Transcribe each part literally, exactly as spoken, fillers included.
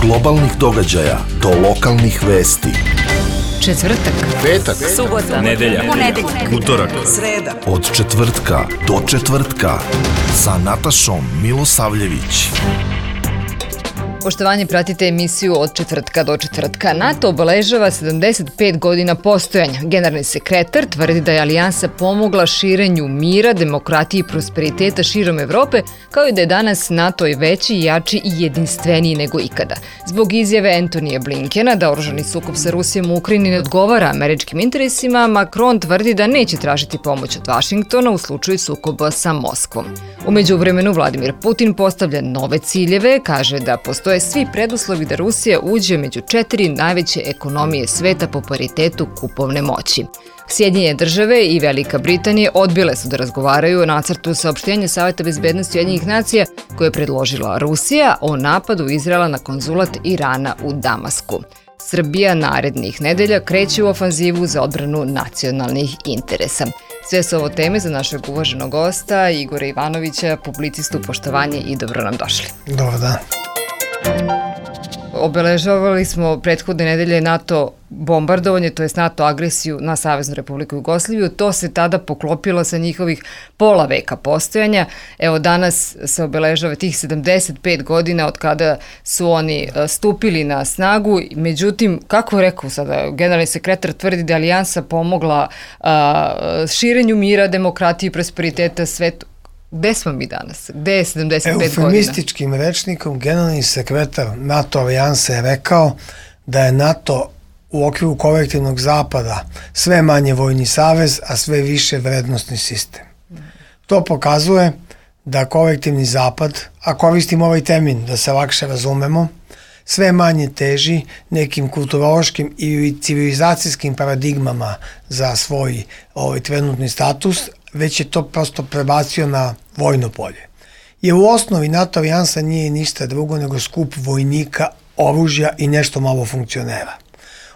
globalnih događaja do lokalnih vesti. Četvrtak, petak, subota, nedelja, ponedeljak, utorak, sreda. Od četvrtka do četvrtka sa Natašom Milosavljević. Poštovanje, pratite emisiju Od četvrtka do četvrtka. NATO obeležava sedamdeset pet godina postojanja. Generalni sekretar tvrdi da je alijansa pomogla širenju mira, demokratije i prosperiteta širom Evrope, kao i da je danas NATO i veći, jači i jedinstveniji nego ikada. Zbog izjave Antonija Blinkena da oružani sukob sa Rusijom u Ukrajini ne odgovara američkim interesima, Macron tvrdi da neće tražiti pomoć od Vašingtona u slučaju sukoba sa Moskvom. U međuvremenu Vladimir Putin postavlja nove ciljeve, kaže da postoje svi preduslovi da Rusija uđe među četiri najveće ekonomije sveta po paritetu kupovne moći. Sjedinjene države i Velika Britanija odbile su da razgovaraju o nacrtu saopštenja Saveta bezbednosti Ujedinjenih nacija koje je predložila Rusija o napadu Izraela na konzulat Irana u Damasku. Srbija narednih nedelja kreće u ofanzivu za odbranu nacionalnih interesa. Sve su ovo teme za našeg uvaženog gosta Igora Ivanovića, publicistu. Poštovanje i dobro nam došli. Dobar dan. Obeležavali smo prethodne nedelje NATO bombardovanje, to je NATO agresiju na Saveznu Republiku Jugoslaviju. To se tada poklopilo sa njihovih pola veka postojanja. Evo, danas se obeležava tih sedamdeset pet godina od kada su oni stupili na snagu. Međutim, kako rekao sada, generalni sekretar tvrdi da je alijansa pomogla a, širenju mira, demokratije i prosperiteta svetu. Gde smo mi danas? Gde je sedamdeset pet godina? Eufemističkim rečnikom generalni sekretar NATO alijanse je rekao da je NATO u okviru kolektivnog zapada sve manje vojni savez, a sve više vrednostni sistem. To pokazuje da kolektivni zapad, a koristim ovaj termin da se lakše razumemo, sve manje teži nekim kulturološkim i civilizacijskim paradigmama za svoj ovaj trenutni status, već je to prosto prebacio na vojno polje. Jer u osnovi NATO alijansa nije ništa drugo nego skup vojnika, oružja i nešto malo funkcionera.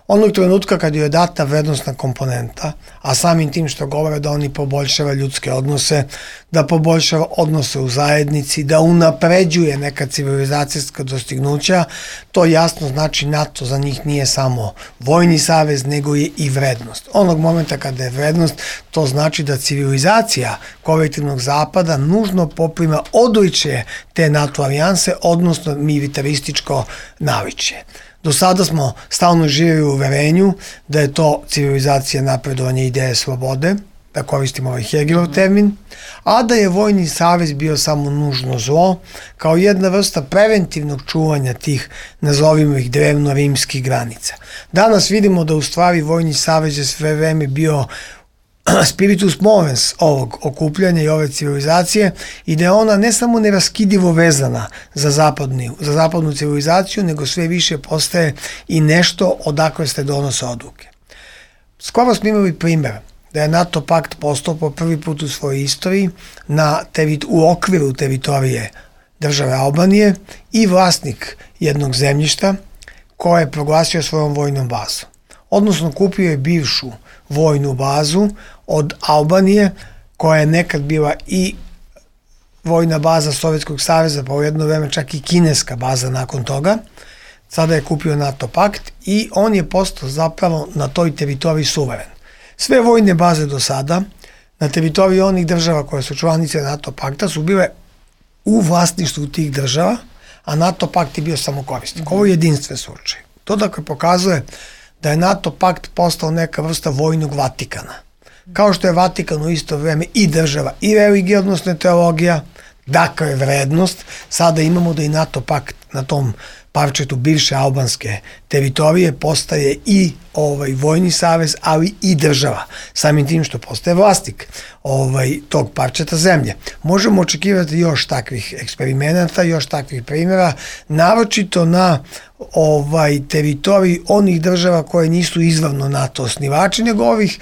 Onog trenutka kad je data vrednostna komponenta, a samim tim što govore da oni poboljšava ljudske odnose, da poboljšava odnose u zajednici, da unapređuje neka civilizacijska dostignuća, to jasno znači NATO za njih nije samo vojni savez, nego je i vrednost. Onog momenta kada je vrednost, to znači da civilizacija kolektivnog zapada nužno poprima odličje te NATO alijanse, odnosno militarističko navičje. Do sada smo stalno živjeli u uverenju da je to civilizacija napredovanja ideje slobode, da koristimo ovaj Hegelov termin, a da je vojni savez bio samo nužno zlo, kao jedna vrsta preventivnog čuvanja tih, nazovimo ih, drevno-rimskih granica. Danas vidimo da u stvari vojni savez je sve vreme bio spiritus movens ovog okupljanja i ove civilizacije i da je ona ne samo neraskidivo vezana za, zapadni, za zapadnu civilizaciju, nego sve više postaje i nešto odakle se donose odluke. Skoro smo imali primjer da je NATO pakt postao po prvi put u svojoj istoriji na terit, u okviru teritorije države Albanije i vlasnik jednog zemljišta koje je proglasio svojom vojnom bazom. Odnosno kupio je bivšu vojnu bazu od Albanije, koja je nekad bila i vojna baza Sovjetskog saveza, pa u jedno vreme čak i kineska baza nakon toga. Sada je kupio NATO pakt i on je postao zapravo na toj teritoriji suveren. Sve vojne baze do sada na teritoriji onih država koje su članice NATO pakta su bile u vlasništvu tih država, a NATO pakt je bio samo korisnik. Ovo je jedinstven slučaj. To dakle pokazuje da je NATO pakt postao neka vrsta vojnog Vatikana. Kao što je Vatikan u isto vreme i država i religija, odnosno teologija, dakle vrednost, sada imamo da i NATO pakt na tom parčetu bivše albanske teritorije postaje i ovaj vojni savez, ali i država, samim tim što postaje vlasnik ovaj, tog parčeta zemlje. Možemo očekivati još takvih eksperimenata, još takvih primjera, naročito na ovaj teritoriji onih država koje nisu izravno NATO osnivači, nego ovih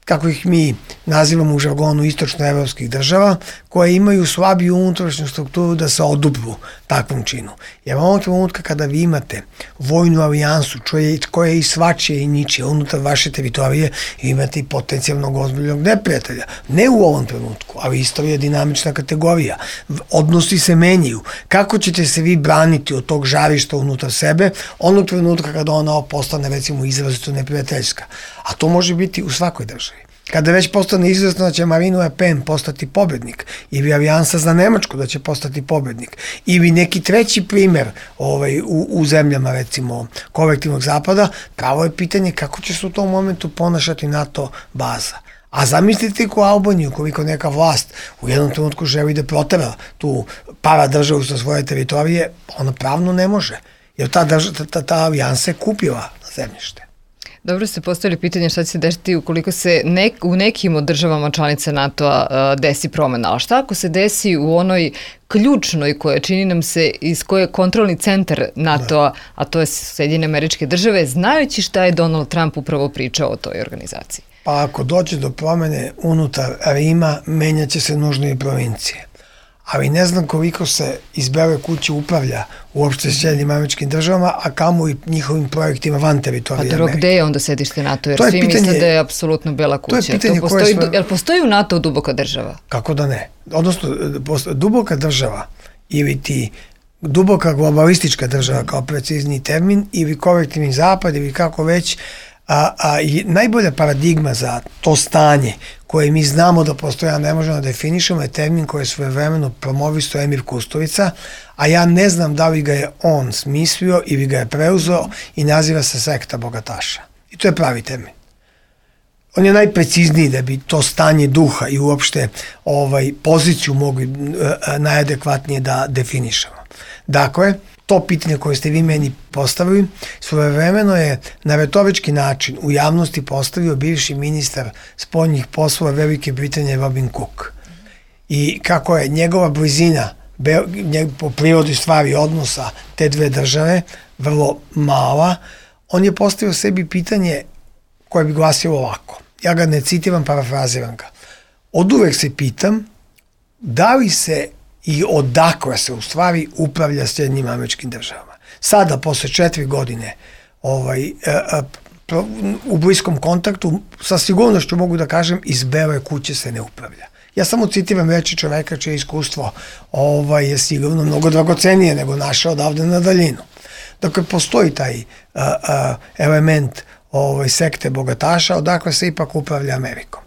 kako ih mi nazivamo u žargonu istočnoevropskih država, koje imaju slabiju unutrašnju strukturu da se odupru takvom činu. Jer ovog trenutka kada vi imate vojnu alijansu koja je i svačije i ničije unutar vaše teritorije, imate i potencijalnog ozbiljnog neprijatelja. Ne u ovom trenutku, ali istorija je dinamična kategorija. Odnosi se menjaju. Kako ćete se vi braniti od tog žarišta unutar sebe onog trenutka kada ona postane recimo izrazito neprijateljska? A to može biti u svakoj državi. Kada već postane izvesno da će Marine Le Pen postati pobednik, ili Alijansa za Nemačku da će postati pobednik, ili neki treći primer ovaj, u, u zemljama recimo kolektivnog zapada, pravo je pitanje kako će se u tom momentu ponašati NATO baza. A zamislite ko Albaniju, koliko neka vlast u jednom trenutku želi da protera tu para državu sa svoje teritorije, ona pravno ne može, jer ta, drža, ta, ta, ta alijansa je kupila zemljište. Dobro ste postavili pitanje šta će se desiti ukoliko se nek, u nekim od državama članica NATO-a desi promena, ali šta ako se desi u onoj ključnoj koja čini nam se iz koje je kontrolni centar NATO-a, a to je Sjedinjene Američke Države, znajući šta je Donald Trump upravo pričao o toj organizaciji? Pa ako dođe do promene unutar Rima, menjaće se nužno i provincije. Ali ne znam koliko se iz Bele kuće upravlja uopšte s Sjedinjenim Američkim Državama, a kamo i njihovim projektima van teritorije Amerike. A dobro, gde je onda sedište NATO? Jer svi pitanje, misle da je apsolutno Bela kuća. To je pitanje to postoji, koje... Jel postoji u NATO duboka država? Kako da ne? Odnosno, duboka država ili ti duboka globalistička država kao precizniji termin ili kolektivni zapad ili kako već, a, a i najbolja paradigma za to stanje koje mi znamo da postoje, a ne možemo da definišemo, je termin koji je svojevremeno promovisto Emir Kusturica, a ja ne znam da li ga je on smislio ili ga je preuzeo i naziva se sekta bogataša. I to je pravi termin. On je najprecizniji da bi to stanje duha i uopšte ovaj, poziciju mogli e, najadekvatnije da definišemo. Dakle, to pitanje koje ste vi meni postavili, svojevremeno je na retorički način u javnosti postavio bivši ministar spoljnih poslova Velike Britanije Robin Cook. I kako je njegova blizina po prirodi stvari odnosa te dve države vrlo mala, on je postavio sebi pitanje koje bi glasilo ovako. Ja ga ne citiram, parafraziram ga. Od uvek se pitam da li se i odakle se u stvari upravlja Sjedinjenim Američkim Državama. Sada, posle četiri godine ovaj, e, e, pro, u bliskom kontaktu, sa sigurnošću mogu da kažem, iz Bele kuće se ne upravlja. Ja samo citiram reči čoveka čije iskustvo ovaj, je sigurno mnogo dragocenije nego naše odavde na daljinu. Dakle, postoji taj a, a, element ovaj, sekte bogataša, odakle se ipak upravlja Amerikom.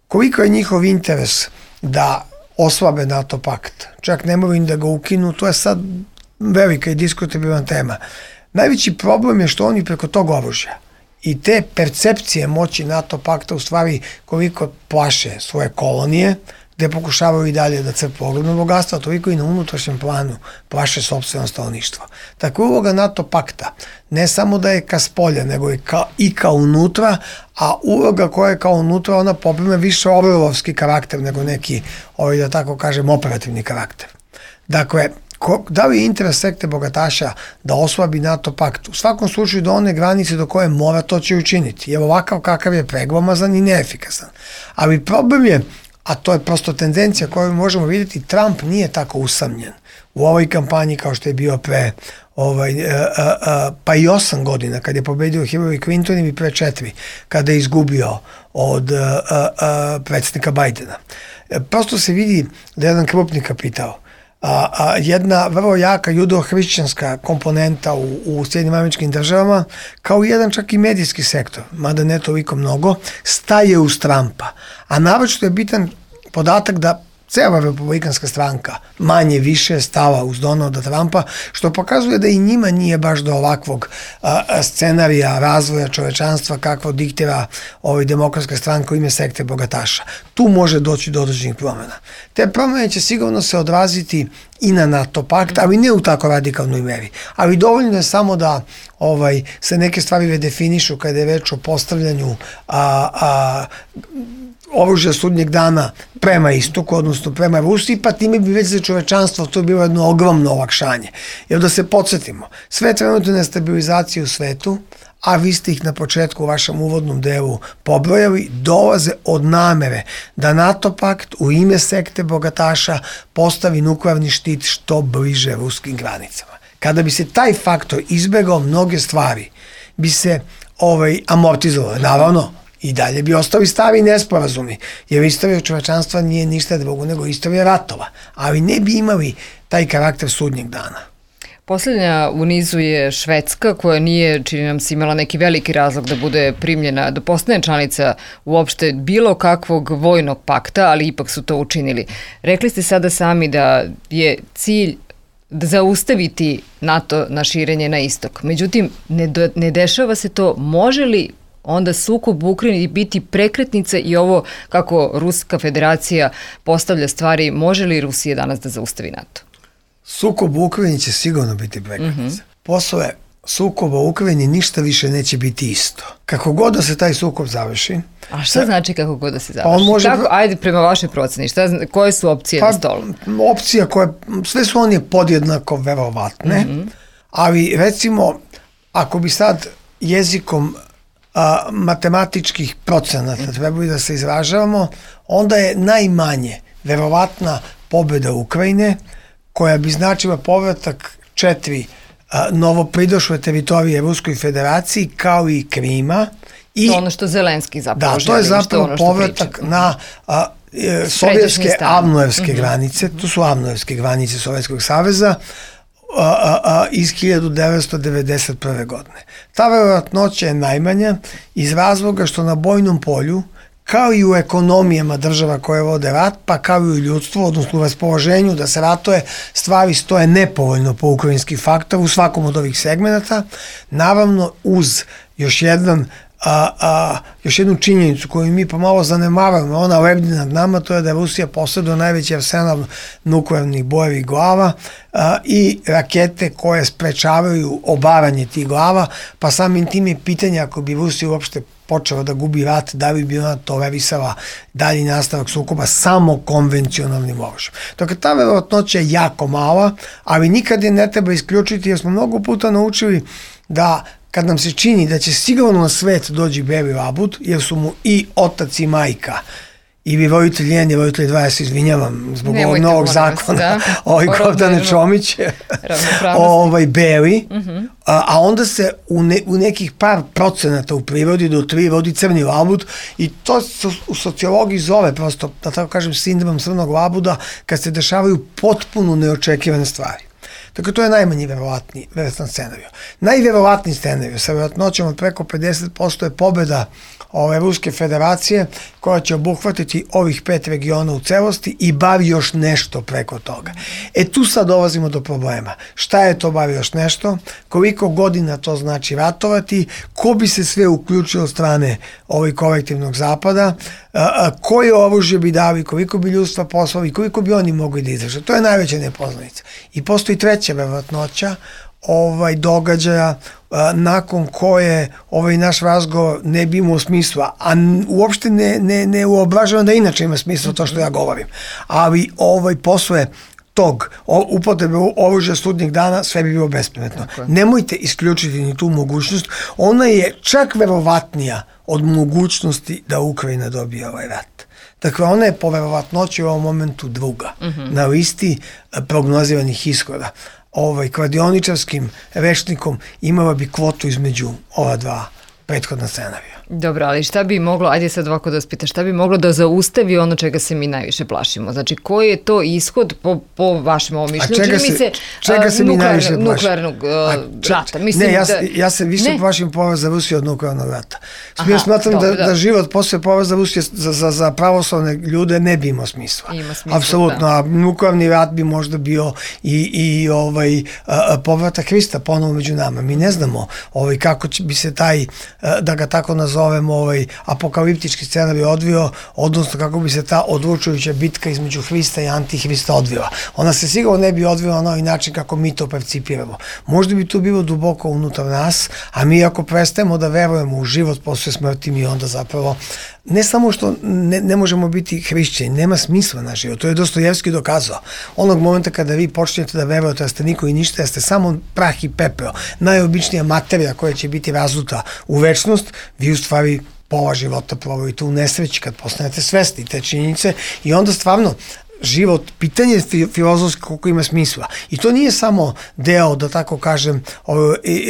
Koliko je njihov interes da oslabe NATO pakt, čak ne moraju da ga ukinu, to je sad velika i diskutabilna tema. Najveći problem je što oni preko tog oružja i te percepcije moći NATO pakta u stvari koliko plaše svoje kolonije, gde pokušavaju i dalje da crpe ogromno bogatstvo, toliko i na unutrašnjem planu plaše sopstveno stanovništvo. Tako uloga NATO pakta ne samo da je ka spolja, nego je ka, i ka unutra, a uloga koja je kao unutra, ona poprime više orlovski karakter nego neki, ovaj, da tako kažem, operativni karakter. Dakle, ko, da li je interes sekte bogataša da oslabi NATO pakt? U svakom slučaju do one granice do koje mora to će učiniti. Jer ovakav kakav je preglomazan i neefikasan. Ali problem je, a to je prosto tendencija koju možemo vidjeti, Trump nije tako usamljen u ovoj kampanji kao što je bio pre ovaj, a, a, a, pa i osam godina kad je pobedio Hillary Clinton ili pre četiri kada je izgubio od a, a, a, predsjednika Bidena. Prosto se vidi da je jedan krupni kapital, a, a jedna vrlo jaka judo-hrišćanska komponenta u, u Sjedinjenim Američkim Državama, kao i jedan čak i medijski sektor, mada ne toliko mnogo, staje uz Trumpa. A naročito je bitan podatak da cela republikanska stranka manje više stava uz Donalda Trumpa, što pokazuje da i njima nije baš do ovakvog a, scenarija razvoja čovečanstva kakvo diktira ovaj demokratska stranka u ime sekte bogataša. Tu može doći do određenih promjena. Te promjene će sigurno se odraziti i na NATO pakt, ali ne u tako radikalnoj meri. Ali dovoljno je samo da ovaj, se neke stvari redefinišu kada je reč o postavljanju a, a, oružja sudnjeg dana prema istoku, odnosno prema Rusiji, pa time bi već za čovečanstvo to bilo jedno ogromno olakšanje. Jer da se podsjetimo, sve trenutne nestabilizacije u svetu, a vi ste ih na početku u vašem uvodnom delu pobrojali, dolaze od namere da NATO pakt u ime sekte bogataša postavi nuklearni štit što bliže ruskim granicama. Kada bi se taj faktor izbegao, mnoge stvari bi se ovaj, amortizovale. Naravno, i dalje bi ostali stari nesporazumi, jer istorija čovečanstva nije ništa drugo nego istorija ratova, ali ne bi imali taj karakter sudnjeg dana. Poslednja u nizu je Švedska, koja nije, čini nam se, imala neki veliki razlog da bude primljena, da postane članica uopšte bilo kakvog vojnog pakta, ali ipak su to učinili. Rekli ste sada sami da je cilj da zaustaviti NATO na širenje na istok. Međutim, ne, do, ne dešava se to. Može li onda sukob u Ukrajini biti prekretnica i ovo kako Ruska federacija postavlja stvari, može li Rusija danas da zaustavi NATO? Sukob u Ukrajini će sigurno biti prekretnica. Mm-hmm. Posle sukoba u Ukrajini ništa više neće biti isto. Kako god da se taj sukob završi. A šta sa, znači kako god da se završi? On može, kako, ajde, prema vašoj proceni, šta, koje su opcije pa, na stolu? Opcija koje, sve su one podjednako verovatne, mm-hmm. ali recimo, ako bi sad jezikom a, matematičkih procenata trebali da se izražavamo, onda je najmanje verovatna pobjeda Ukrajine, koja bi značila povratak četiri a, novopridošle teritorije Ruskoj federaciji, kao i Krima. I, to ono što Zelenski zapravo želi. Da, to je zapravo ono povratak priča. na a, e, sovjetske avnojevske mm-hmm. granice, to su avnojevske granice Sovjetskog saveza, a, a, a, iz hiljadu devetsto devedeset prve. godine. Ta verovatnoća je najmanja iz razloga što na bojnom polju, kao i u ekonomijama država koje vode rat, pa kao i u ljudstvu, odnosno u raspoloženju da se ratuje, stvari stoje nepovoljno po ukrajinski faktor u svakom od ovih segmenata, naravno uz još jedan A, a, još jednu činjenicu koju mi pomalo zanemaramo, ona lebdi nad nama, to je da Rusija posjeduje najveći arsenal nuklearnih bojevih glava a, i rakete koje sprečavaju obaranje tih glava, pa samim tim je pitanje ako bi Rusija uopšte počela da gubi rat, da li bi ona tolerisala dalji nastavak sukoba samo konvencionalnim oružjem. Dakle, ta verovatnoća je jako mala, ali nikad je ne treba isključiti, jer smo mnogo puta naučili da kad nam se čini da će sigurno na svet dođi beli labud, jer su mu i otac i majka, i vi roditelj jedan i roditelj dva, ja se izvinjavam zbog ovog novog zakona, da. ovaj Gordane Čomić, ovaj beli, uh-huh. a, a onda se u, ne, u nekih par procenata u prirodi do tri rodi crni labud i to se u sociologiji zove prosto, da tako kažem, sindrom crnog labuda, kad se dešavaju potpuno neočekivane stvari. Dakle, to je najmanji verovatni, verovatni scenariju. Najverovatniji scenariju sa verovatnoćom od preko pedeset posto je pobjeda ove Ruske federacije koja će obuhvatiti ovih pet regiona u celosti i bar još nešto preko toga. E tu sad dolazimo do problema. Šta je to bar još nešto? Koliko godina to znači ratovati? Ko bi se sve uključio od strane ovih kolektivnog zapada? A, a, koje oružje bi dali? Koliko bi ljudstva poslali? Koliko bi oni mogli da izdrže? To je najveća nepoznanica. I postoji treća verovatnoća ovaj događaja a, nakon koje ovaj naš razgovor ne bi imao smisla, a n, uopšte ne, ne, ne uobražavam da inače ima smisla to što ja govorim, ali ovaj posle tog upotrebe oružja sudnjeg dana sve bi bilo bespredmetno. Okay. Nemojte isključiti ni tu mogućnost, ona je čak verovatnija od mogućnosti da Ukrajina dobije ovaj rat. Dakle, ona je po verovatnoći u ovom momentu druga mm-hmm. na listi prognoziranih ishoda. Ovaj, kladioničarskim rečnikom imala bi kvotu između ova dva prethodna scenarija. Dobro, ali šta bi moglo, ajde sad ovako da vas pita, šta bi moglo da zaustavi ono čega se mi najviše plašimo? Znači, koji je to ishod po, po vašem ovom mišljenju? A čega se, mi se, čega se mi najviše plašimo? Nuklearnog uh, rata. Mislim ne, ja, da, ja se više ne. plašim poraza Rusije od nuklearnog rata. Aha, ja smatram dobro, da, da. da život posle poraza Rusije za, za, za pravoslavne ljude ne bi imao smisla. Ima smisla, apsolutno, da. A nuklearni rat bi možda bio i, i ovaj, a, povratak Hrista ponovo među nama. Mi ne znamo ovaj, kako će, bi se taj, a, da ga tako nazovemo, ovaj, apokaliptički scenarij odvio, odnosno kako bi se ta odlučujuća bitka između Hrista i Antihrista odvila. Ona se sigurno ne bi odvila na ovaj način kako mi to percipiramo. Možda bi to bilo duboko unutar nas, a mi ako prestajemo da verujemo u život posle smrti, mi onda zapravo ne samo što ne, ne možemo biti hrišćani, nema smisla na život, to je Dostojevski dokazao. Onog momenta kada vi počnete da verujete da ste niko i ništa, da ste samo prah i pepeo, najobičnija materija koja će biti razuta u večnost, vi u stvari pola života provojite u nesreći kad postanete svesni te činjenice i onda stvarno život, pitanje filozofski koliko ima smisla. I to nije samo deo, da tako kažem,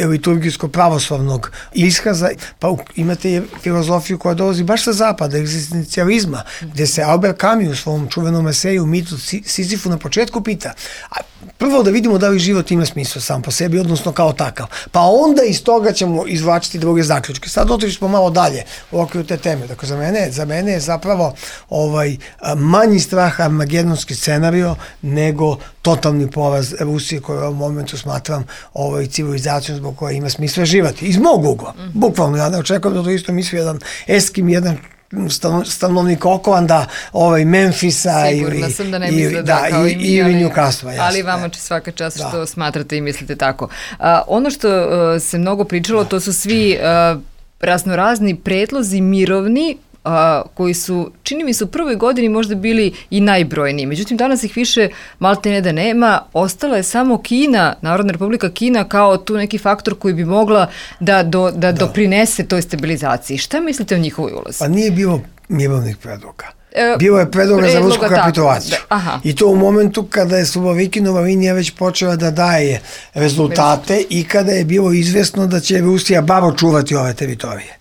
liturgijsko-pravoslavnog iskaza, pa imate filozofiju koja dolazi baš sa zapada, egzistencijalizma, gde se Albert Camus u svom čuvenom eseju Mitu Sizifu na početku pita, a prvo da vidimo da li život ima smisla sam po sebi, odnosno kao takav. Pa onda iz toga ćemo izvlačiti druge zaključke. Sad otišli smo malo dalje u okviru te teme. Dakle, za mene, za mene je zapravo ovaj, manji strah armagedonski scenario nego totalni poraz Rusije koju u ovom momentu smatram ovaj, civilizacijom zbog koja ima smisla živati. Iz mog ugla. Mm. Bukvalno, ja ne očekujem da to isto misli jedan Eskim, jedan stanovnik Oklanda, ovaj, Memfisa Sigurna ili, sam da ne ili, misle da, da kao i mi, ili ali, Newcastle, ali vama će svaka čast da. Što smatrate i mislite tako. A, ono što a, se mnogo pričalo, da. To su svi a, raznorazni predlozi mirovni, a, koji su, čini mi se, u prvoj godini možda bili i najbrojniji. Međutim, danas ih više malte ne da nema. Ostala je samo Kina, Narodna Republika Kina, kao tu neki faktor koji bi mogla da, do, da, da. doprinese toj stabilizaciji. Šta mislite o njihovoj ulozi? Pa nije bilo mirovnih predloga. Bilo je predloga za rusku kapitulaciju. Da, I to u momentu kada je Subovikinova linija već počela da daje rezultate i kada je bilo izvesno da će Rusija bar očuvati ove teritorije.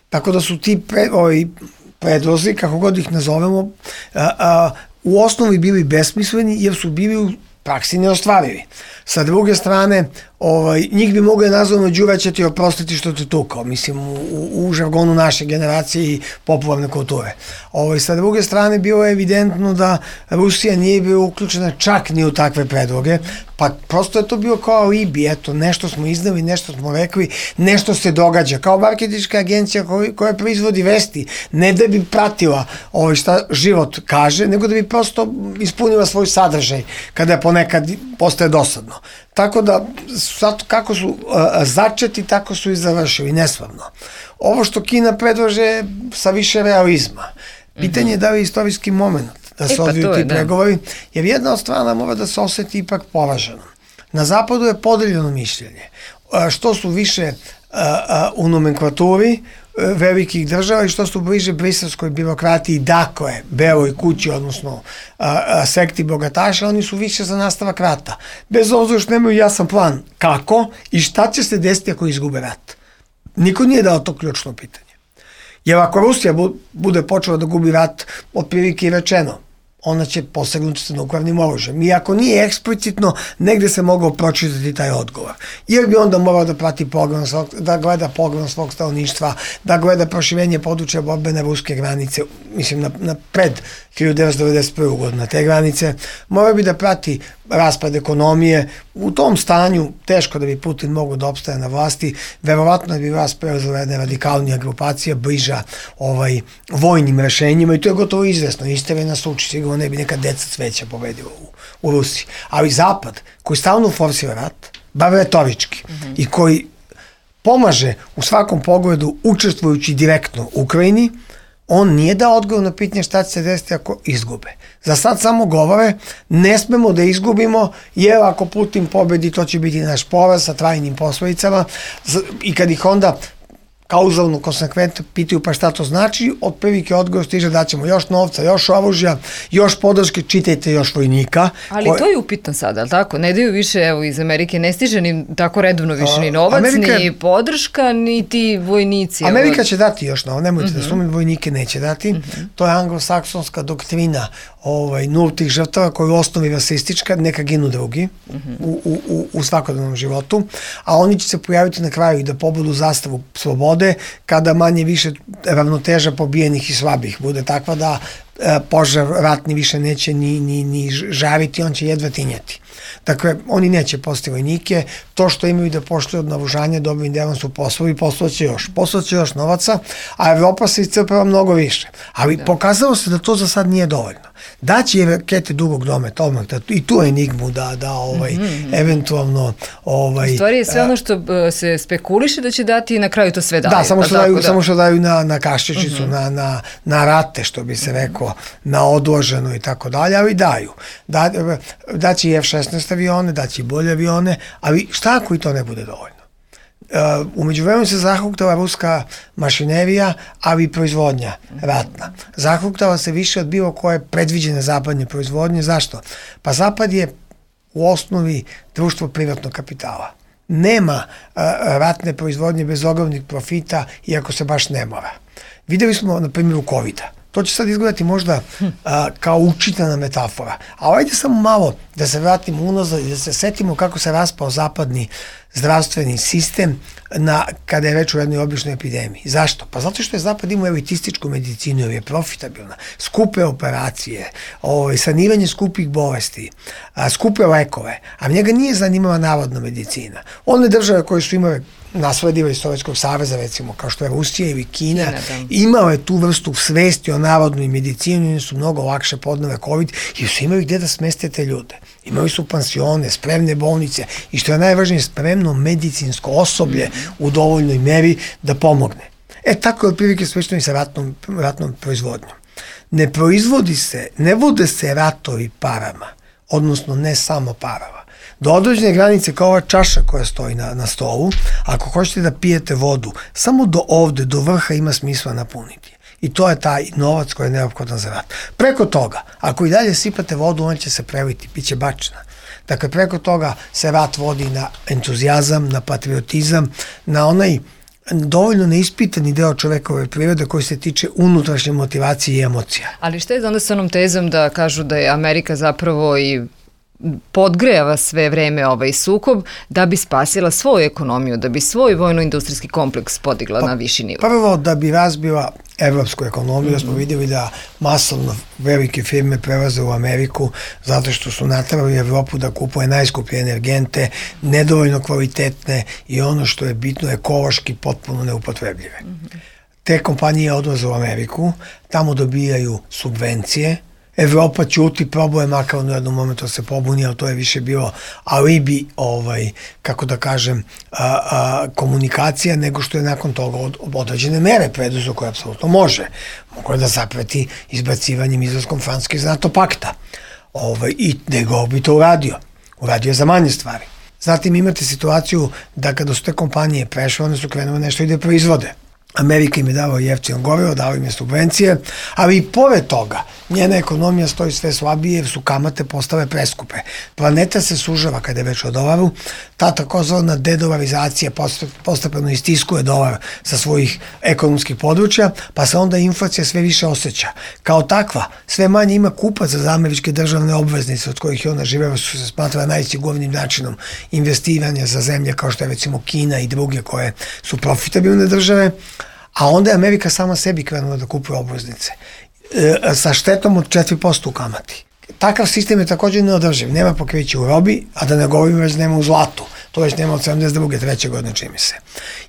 Tako da su ti pre, ovi predlozi, kako god ih nazovemo, a, a, u osnovi bili besmisleni jer su bili u praksi neostvarivi. Sa druge strane, ovaj, njih bi mogli nazvati Đura će ti oprostiti što te tukao, mislim, u, u, u žargonu naše generacije i popularne kulture. Ovaj, sa druge strane, bilo je evidentno da Rusija nije bila uključena čak ni u takve predloge, pa prosto je to bio kao alibi, eto, nešto smo iznali, nešto smo rekli, nešto se događa, kao marketinška agencija koja, koja proizvodi vesti, ne da bi pratila ovaj, šta život kaže, nego da bi prosto ispunila svoj sadržaj, kada je ponekad postaje dosadno. Tako da, sad, kako su a, začeti, tako su i završili, neslavno. Ovo što Kina predlaže sa više realizma. Pitanje je da li je istorijski moment da se e, pa odviju ti pregovori, jer jedna od strana mora da se oseti ipak poraženo. Na zapadu je podeljeno mišljenje. A, što su više a, a, u nomenklaturi velikih država i što su bliže briselskoj birokratiji, dakle, Beloj kući, odnosno a, a, sekti bogataša, oni su više za nastavak rata. Bez obzira što nemaju jasan plan kako i šta će se desiti ako izgube rat. Niko nije dao to ključno pitanje. Jer ako Rusija bude počela da gubi rat, otprilike i rečeno, ona će posegnuti sa nuklearnim oružjem. I ako nije eksplicitno, negde se mogao pročitati taj odgovor. Jer bi onda morao da prati program, da gleda program svog stanovništva, da gleda proširenje područja borbene ruske granice, mislim, na, na pred hiljadu devetsto devedeset prve. godinu na te granice. Morao bi da prati raspad ekonomije. U tom stanju teško da bi Putin mogao da opstaje na vlasti. Verovatno bi vas preuzela jedna radikalnija grupacija, bliža ovaj, vojnim rešenjima i to je gotovo izvesno. Istere nas uči, sigurno ne bi neka deca cveća pobedila u, u Rusiji. Ali Zapad, koji stalno forsira rat, bar retorički, mm-hmm. i koji pomaže u svakom pogledu učestvujući direktno u Ukrajini, on nije dao odgovor na pitanje šta će se desiti ako izgube. Za sad samo govore, ne smemo da izgubimo, jer ako Putin pobedi, to će biti naš poraz sa trajnim posledicama i kad ih onda kauzalno, konsekventno pitaju pa šta to znači, otprilike odgovor stiže da ćemo još novca, još oružja, još podrške, čitajte još vojnika. Ali koje... to je upitno sada, ali tako? Ne daju više, evo, iz Amerike ne stiže ni tako redovno više ni novac, Amerika... ni podrška, ni ti vojnici. Amerika evo... će dati još novac, nemojte uh-huh. da sumim, vojnike neće dati. Uh-huh. To je anglosaksonska doktrina ovaj, nultih žrtava koja je u osnovi rasistička, neka ginu drugi uh-huh. u, u, u, u svakodnevnom životu, a oni će se pojaviti na kraju i da pobudu zastavu slobode, kada manje više ravnoteža pobijenih i slabih bude takva da e, požar ratni više neće ni, ni, ni žariti, on će jedva tinjati. Dakle, oni neće poslati vojnike, to što imaju da poštuju od navužanja dobrim delom su poslovi, poslaće još, poslaće još novaca, a Evropa se iscrpava mnogo više. Ali da. Pokazalo se da to za sad nije dovoljno. Daći je rakete dugog dometa, odmah, da, i tu enigmu da, da ovaj, mm-hmm. eventualno... Ovaj, u stvari je sve ono što se spekuliše da će dati i na kraju to sve daju. Da, samo što, daju, da. samo što daju na, na kaščičicu, mm-hmm. na, na, na rate, što bi se rekao, na odloženo i tako dalje, ali daju. Da, daći i F šesnaest avione, daći i bolje avione, ali šta ako i to ne bude dovoljno? Uh, umeđu vremenu se zahuktala ruska mašinerija, ali i proizvodnja ratna. Zahuktala se više od bilo koje predviđene zapadne proizvodnje. Zašto? Pa Zapad je u osnovi društvo privatnog kapitala. Nema uh, ratne proizvodnje bez ogromnih profita, iako se baš ne mora. Videli smo na primjeru kovida. To će sad izgledati možda a, kao učitana metafora. A ajde samo malo da se vratimo unazad i da se setimo kako se raspao zapadni zdravstveni sistem na, kada je već u jednoj običnoj epidemiji. Zašto? Pa zato što je Zapad imao elitističku medicinu, jer je profitabilna. Skupe operacije, ovaj, saniranje skupih bolesti, a, skupe lekove, a njega nije zanimala narodna medicina. One države koje su imale nasledila iz Sovjetskog saveza, recimo, kao što je Rusija ili Kina, imao je tu vrstu svesti o narodnoj medicini i su mnogo lakše podnove COVID i su imali gde da smeste te ljude. Imali su pansione, spremne bolnice i što je najvažnije, spremno medicinsko osoblje u dovoljnoj meri da pomogne. E, tako je otprilike slično i sa ratnom, ratnom proizvodnjom. Ne proizvodi se, ne vode se ratovi parama, odnosno ne samo parama. Do određene granice, kao ova čaša koja stoji na, na stolu, ako hoćete da pijete vodu, samo do ovde, do vrha ima smisla napuniti. I to je taj novac koji je neophodan za rat. Preko toga, ako i dalje sipate vodu, on će se preliti, bit će bačena. Dakle, preko toga se rat vodi na entuzijazam, na patriotizam, na onaj dovoljno neispitani deo čovekove prirode koji se tiče unutrašnje motivacije i emocija. Ali šta je onda sa onom tezom da kažu da je Amerika zapravo i podgrejava sve vreme ovaj sukob da bi spasila svoju ekonomiju, da bi svoj vojno-industrijski kompleks podigla pa, na viši nivo? Prvo, da bi razbila evropsku ekonomiju, mm-hmm. smo vidjeli da masovno velike firme prelaze u Ameriku zato što su natrali Evropu da kupuje najskuplje energente, nedovoljno kvalitetne i ono što je bitno ekološki potpuno neupotrebljive. Mm-hmm. Te kompanije odlaze u Ameriku, tamo dobijaju subvencije, Evropa ćuti, probuje makar u jednom momentu se pobuni, ali to je više bilo alibi, ovaj, kako da kažem, a, a, komunikacija, nego što je nakon toga od, određene mere preduzo koje apsolutno može. Mogu je da zapreti izbacivanjem izlaskom Francuske iz NATO pakta. Ovaj, I nego bi to uradio. Uradio je za manje stvari. Zatim imate situaciju da kada su te kompanije prešle, one su krenule nešto i da proizvode. Amerika im je dala jeftino gorivo, dala im je subvencije, ali i pored toga njena ekonomija stoji sve slabije jer su kamate postale preskupe. Planeta se sužava kada je već o dolaru, ta takozvana dedolarizacija postepeno istiskuje dolar sa svojih ekonomskih područja, pa se onda inflacija sve više osjeća. Kao takva, sve manje ima kupaca za američke državne obveznice od kojih je ona živela, su se smatra najsigurnijim načinom investiranja za zemlje kao što je recimo Kina i druge koje su profitabilne države, a onda je Amerika sama sebi krenula da kupuje obveznice e, sa štetom od četiri posto u kamati. Takav sistem je također neodrživ. Nema pokrića u robi, a da ne govorimo već nema u zlatu. To već nema od sedamdeset druge treće godine čini se.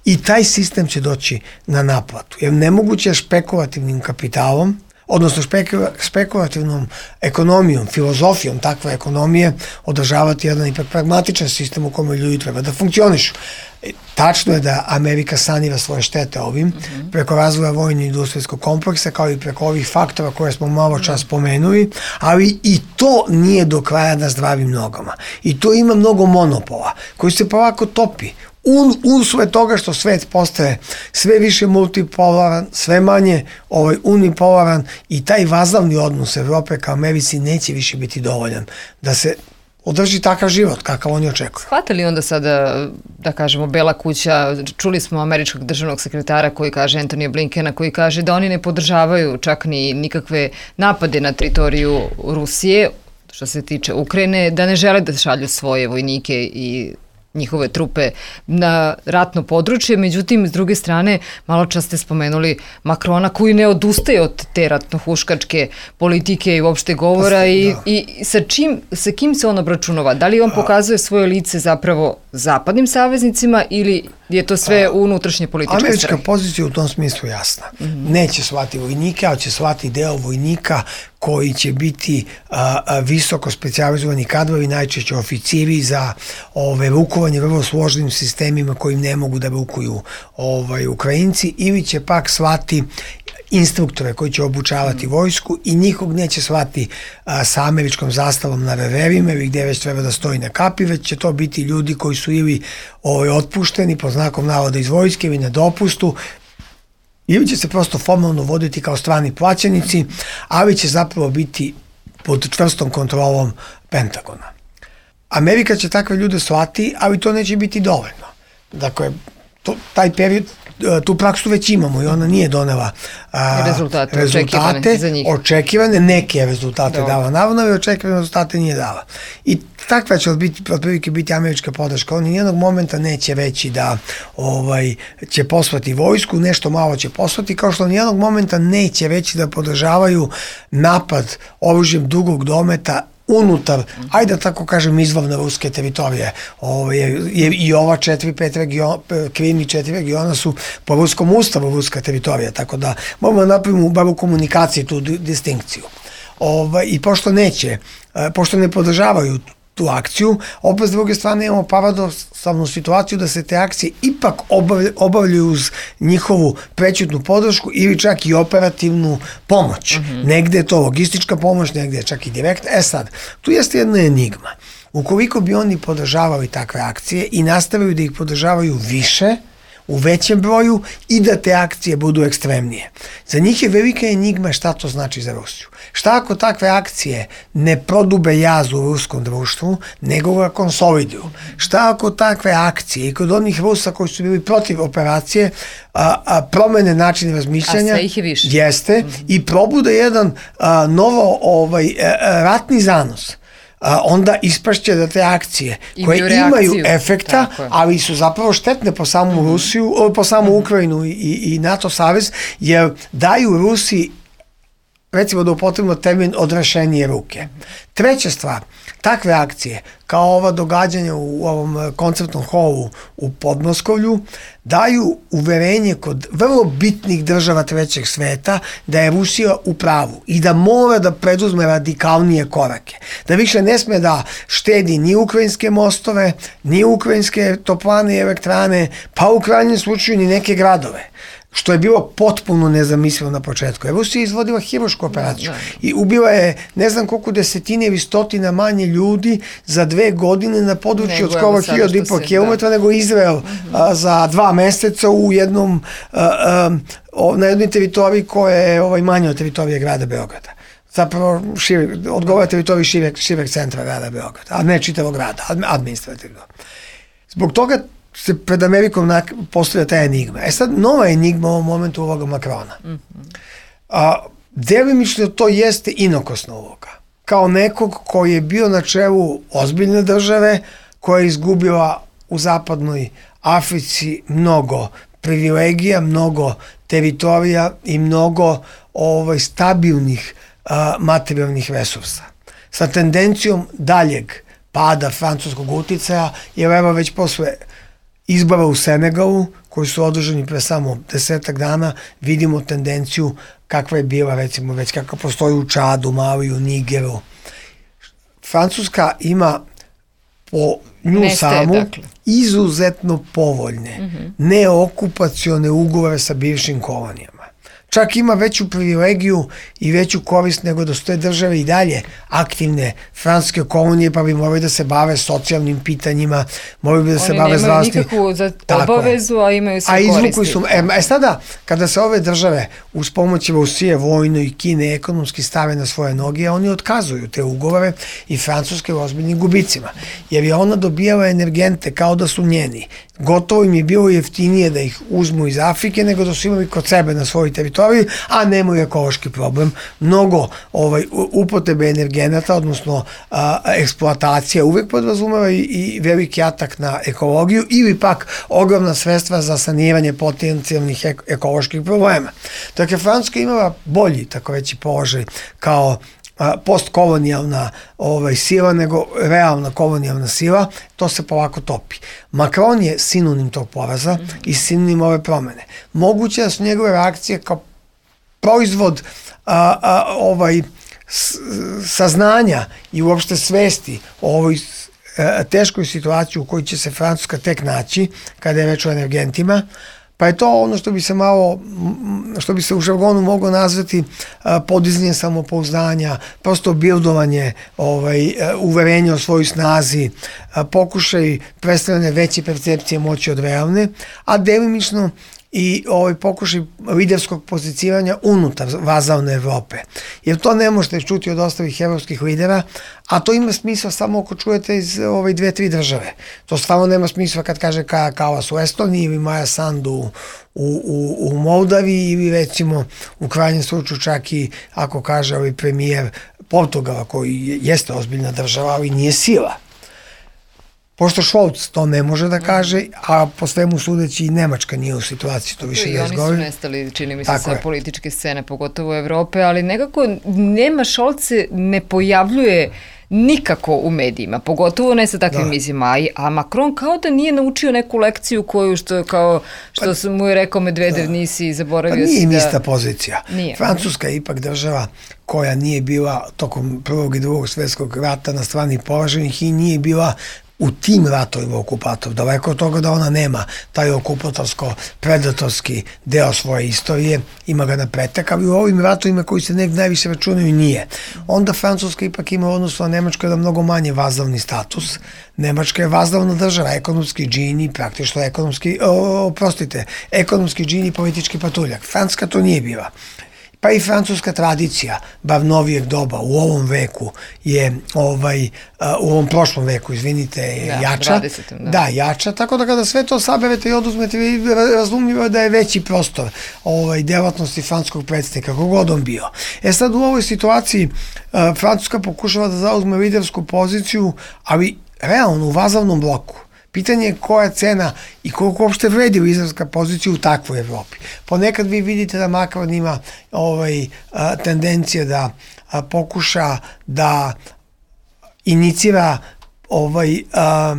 I taj sistem će doći na naplatu. Jer nemoguće je špekulativnim kapitalom, odnosno špekula, spekulativnom ekonomijom, filozofijom takve ekonomije održavati jedan ipak pragmatičan sistem u kome ljudi treba da funkcionišu. Tačno je da Amerika sanira svoje štete ovim, mm-hmm. preko razvoja vojno-industrijskog kompleksa, kao i preko ovih faktora koje smo malo čas spomenuli, ali i to nije do kraja na zdravim nogama. I to ima mnogo monopola, koji se polako topi. Un, usled toga što svet postaje sve više multipolaran, sve manje ovaj, unipolaran i taj vazalni odnos Evrope ka Americi neće više biti dovoljan da se održi takav život kakav oni očekuju. Hvata li onda sada, da kažemo, Bela kuća, čuli smo američkog državnog sekretara koji kaže, Antonija Blinkena, koji kaže da oni ne podržavaju čak ni nikakve napade na teritoriju Rusije, što se tiče Ukrajine, da ne žele da šalju svoje vojnike i njihove trupe na ratno područje. Međutim, s druge strane, malo čas ste spomenuli Makrona koji ne odustaje od te ratno-huškačke politike i uopšte govora i, da. i sa, čim, sa kim se on obračunava? Da li on pokazuje svoje lice zapravo zapadnim saveznicima ili je to sve unutrašnje političke strane? Američka pozicija u tom smislu jasna. Mm-hmm. Neće slati vojnike, ali će slati deo vojnika koji će biti a, a, visoko specijalizovani kadrovi, najčešće oficiri za ove, rukovanje vrlo složenim sistemima kojim ne mogu da rukuju ovaj, Ukrajinci, ili će pak slati instruktore koji će obučavati mm. vojsku i nikog neće slati a, sa američkom zastavom na reverima ili gde već treba da stoji na kapi, već će to biti ljudi koji su ili ovaj, otpušteni po znakom navoda iz vojske ili na dopustu, ili će se prosto formalno voditi kao strani plaćenici, ali će zapravo biti pod čvrstom kontrolom Pentagona. Amerika će takve ljude slati, ali to neće biti dovoljno. Dakle, to, taj period, tu praksu već imamo i ona nije donela a, rezultate, rezultate očekivane za njih. Očekivane, neke rezultate Dobre. dala, naravno, ali očekivane rezultate nije dala. I takva će biti, otprilike biti američka podrška. Oni nijednog momenta neće reći da ovaj, će poslati vojsku, nešto malo će poslati, kao što nijednog momenta neće reći da podržavaju napad oružjem dugog dometa unutar, ajde da tako kažem, izvorne ruske teritorije. Ovo je, je, I ova četiri, pet region, Krim i četiri regiona su po ruskom ustavu ruska teritorija, tako da moramo da napravimo bar u komunikaciji tu distinkciju. Ovo, I pošto neće, pošto ne podržavaju tu akciju, opet s druge strane imamo paradoksalnu situaciju da se te akcije ipak obavljaju uz njihovu prećutnu podršku ili čak i operativnu pomoć. Mm-hmm. Negde je to logistička pomoć, negde je čak i direktna. E sad, tu jeste jedna enigma. Ukoliko bi oni podržavali takve akcije i nastavili da ih podržavaju više, u većem broju i da te akcije budu ekstremnije. Za njih je velika enigma šta to znači za Rusiju. Šta ako takve akcije ne prodube jaz u ruskom društvu, nego ga konsoliduju? Šta ako takve akcije i kod onih Rusa koji su bili protiv operacije a, a, promene način razmišljanja? A sve ih je više. Jeste, mm-hmm. i probude jedan a, novo ovaj, a, ratni zanos. A, onda ispašće da te akcije koje imaju, imaju efekta, ali su zapravo štetne po samu mm-hmm. Rusiju, po samu mm-hmm. Ukrajinu i, i NATO savez, jer daju Rusiji, recimo da upotrebimo termin, odrešenije ruke. Treća stvar, takve akcije, kao ova događanja u ovom koncertnom holu u Podmoskovlju, daju uverenje kod vrlo bitnih država trećeg sveta da je Rusija u pravu i da mora da preduzme radikalnije korake. Da više ne sme da štedi ni ukrajinske mostove, ni ukrajinske toplane i elektrane, pa u krajnjem slučaju ni neke gradove. Što je bilo potpuno nezamislivo na početku. Rusija je izvodila hirušku operaciju i ubila je ne znam koliko desetine ili stotina manje ljudi za dve godine na području od skoro hiljadu i po kilometra nego Izrael mm-hmm. a, za dva meseca u jednom a, a, na jednoj teritoriji koja je ovaj, manje od teritorije grada Beograda. Zapravo širi, odgovara teritoriji šireg, šireg centra grada Beograda, a ne čitavog grada, administrativno. Zbog toga se pred Amerikom postavlja ta enigma. E sad, nova enigma u ovom momentu uloga Makrona. Mm-hmm. A, delimično to jeste inokosna uloga. Kao nekog koji je bio na čelu ozbiljne države, koja je izgubila u zapadnoj Africi mnogo privilegija, mnogo teritorija i mnogo ovaj, stabilnih a, materijalnih resursa. Sa tendencijom daljeg pada francuskog uticaja, jer evo već posle izbora u Senegalu, koji su održani pre samo desetak dana, vidimo tendenciju kakva je bila, recimo, već kakva postoji u Čadu, Mali, u Nigeru. Francuska ima po nju Neste, samu dakle. izuzetno povoljne, mm-hmm. neokupacione ugovore sa bivšim kolonijama. Čak ima veću privilegiju i veću korist nego da su te države i dalje aktivne francuske kolonije, pa bi morali da se bave socijalnim pitanjima, morali bi da se Oni bave zdravstvenim. Oni nemaju nikakvu obavezu, a imaju sve a koristi. Su, e, e sada, kada se ove države uz pomoć Rusije, vojno i Kine ekonomski stave na svoje noge, oni otkazuju te ugovore i Francuske u ozbiljnim gubicima. Jer je ona dobijala energente kao da su njeni. Gotovo im je bilo jeftinije da ih uzmu iz Afrike nego da su imali kod sebe na svojoj teritoriji, zaboravili, a nemaju ekološki problem. Mnogo ovaj, upotrebe energenata, odnosno a, eksploatacija uvek podrazumeva i, i veliki atak na ekologiju ili pak ogromna sredstva za saniranje potencijalnih ek, ekoloških problema. Dakle, Francuska imala bolji, tako veći položaj kao postkolonijalna ovaj, sila nego realna kolonijalna sila, to se polako topi. Macron je sinonim tog poraza mm -hmm. i sinonim ove promene. Moguće da su njegove reakcije kao proizvod a, a, ovaj, s, saznanja i uopšte svesti o ovoj a, teškoj situaciji u kojoj će se Francuska tek naći kada je reč o energentima. Pa je to ono što bi se malo, što bi se u žargonu moglo nazvati podizanje samopouzdanja, prosto bildovanje, ovaj, uverenje o svojoj snazi, pokušaj predstavljanja veće percepcije moći od realne, a delimično i ovaj pokušaj liderskog pozicioniranja unutar vazalne Evrope. Jer to ne možete čuti od ostalih evropskih lidera, a to ima smisla samo ako čujete iz ovaj, dve, tri države. To stvarno nema smisla kad kaže Kaja Kallas u Estoniji ili Maja Sandu u, u, u Moldaviji ili recimo u krajnjem slučaju čak i ako kaže ovaj premijer Portugala koji jeste ozbiljna država, ali nije sila. Pošto Scholz to ne može da kaže, a po svemu sudeći i Nemačka nije u situaciji to više da izgovori. I oni su nestali, čini mi se, sa političke scene, pogotovo u Evrope, ali nekako nema Scholz se ne pojavljuje nikako u medijima, pogotovo ne sa takvim izjavama, a Macron kao da nije naučio neku lekciju koju što kao što pa, mu je rekao Medvedev, da. Nisi zaboravio pa si da... nije ista pozicija. Nije. Francuska je ipak država koja nije bila tokom prvog i drugog svjetskog rata na strani poraženih i nije bila u tim ratovima okupator, daleko od toga da ona nema taj okupatorsko-predatorski deo svoje istorije, ima ga na pretek, ali u ovim ratovima koji se nek najviše računaju nije. Onda Francuska ipak ima odnosno na Nemačku jedan mnogo manje vazalni status. Nemačka je vazalna država, ekonomski džini, praktično ekonomski, oprostite, ekonomski džini, politički patuljak. Francuska to nije bila. Pa i francuska tradicija, bar novijeg doba, u ovom veku je, ovaj, u ovom prošlom veku, izvinite, je da, jača. dvadesetom Da. da, jača, tako da kada sve to saberete i oduzmete, razumljivo da je veći prostor ovaj, delatnosti francuskog predsjednika, kogod on bio. E sad u ovoj situaciji Francuska pokušava da zauzme lidersku poziciju, ali realno u vazalnom bloku. Pitanje je koja cena i koliko uopšte vredi liderska pozicija u takvoj Evropi. Ponekad vi vidite da Macron ima ovaj, a, tendencije da a, pokuša da inicira ovaj, a,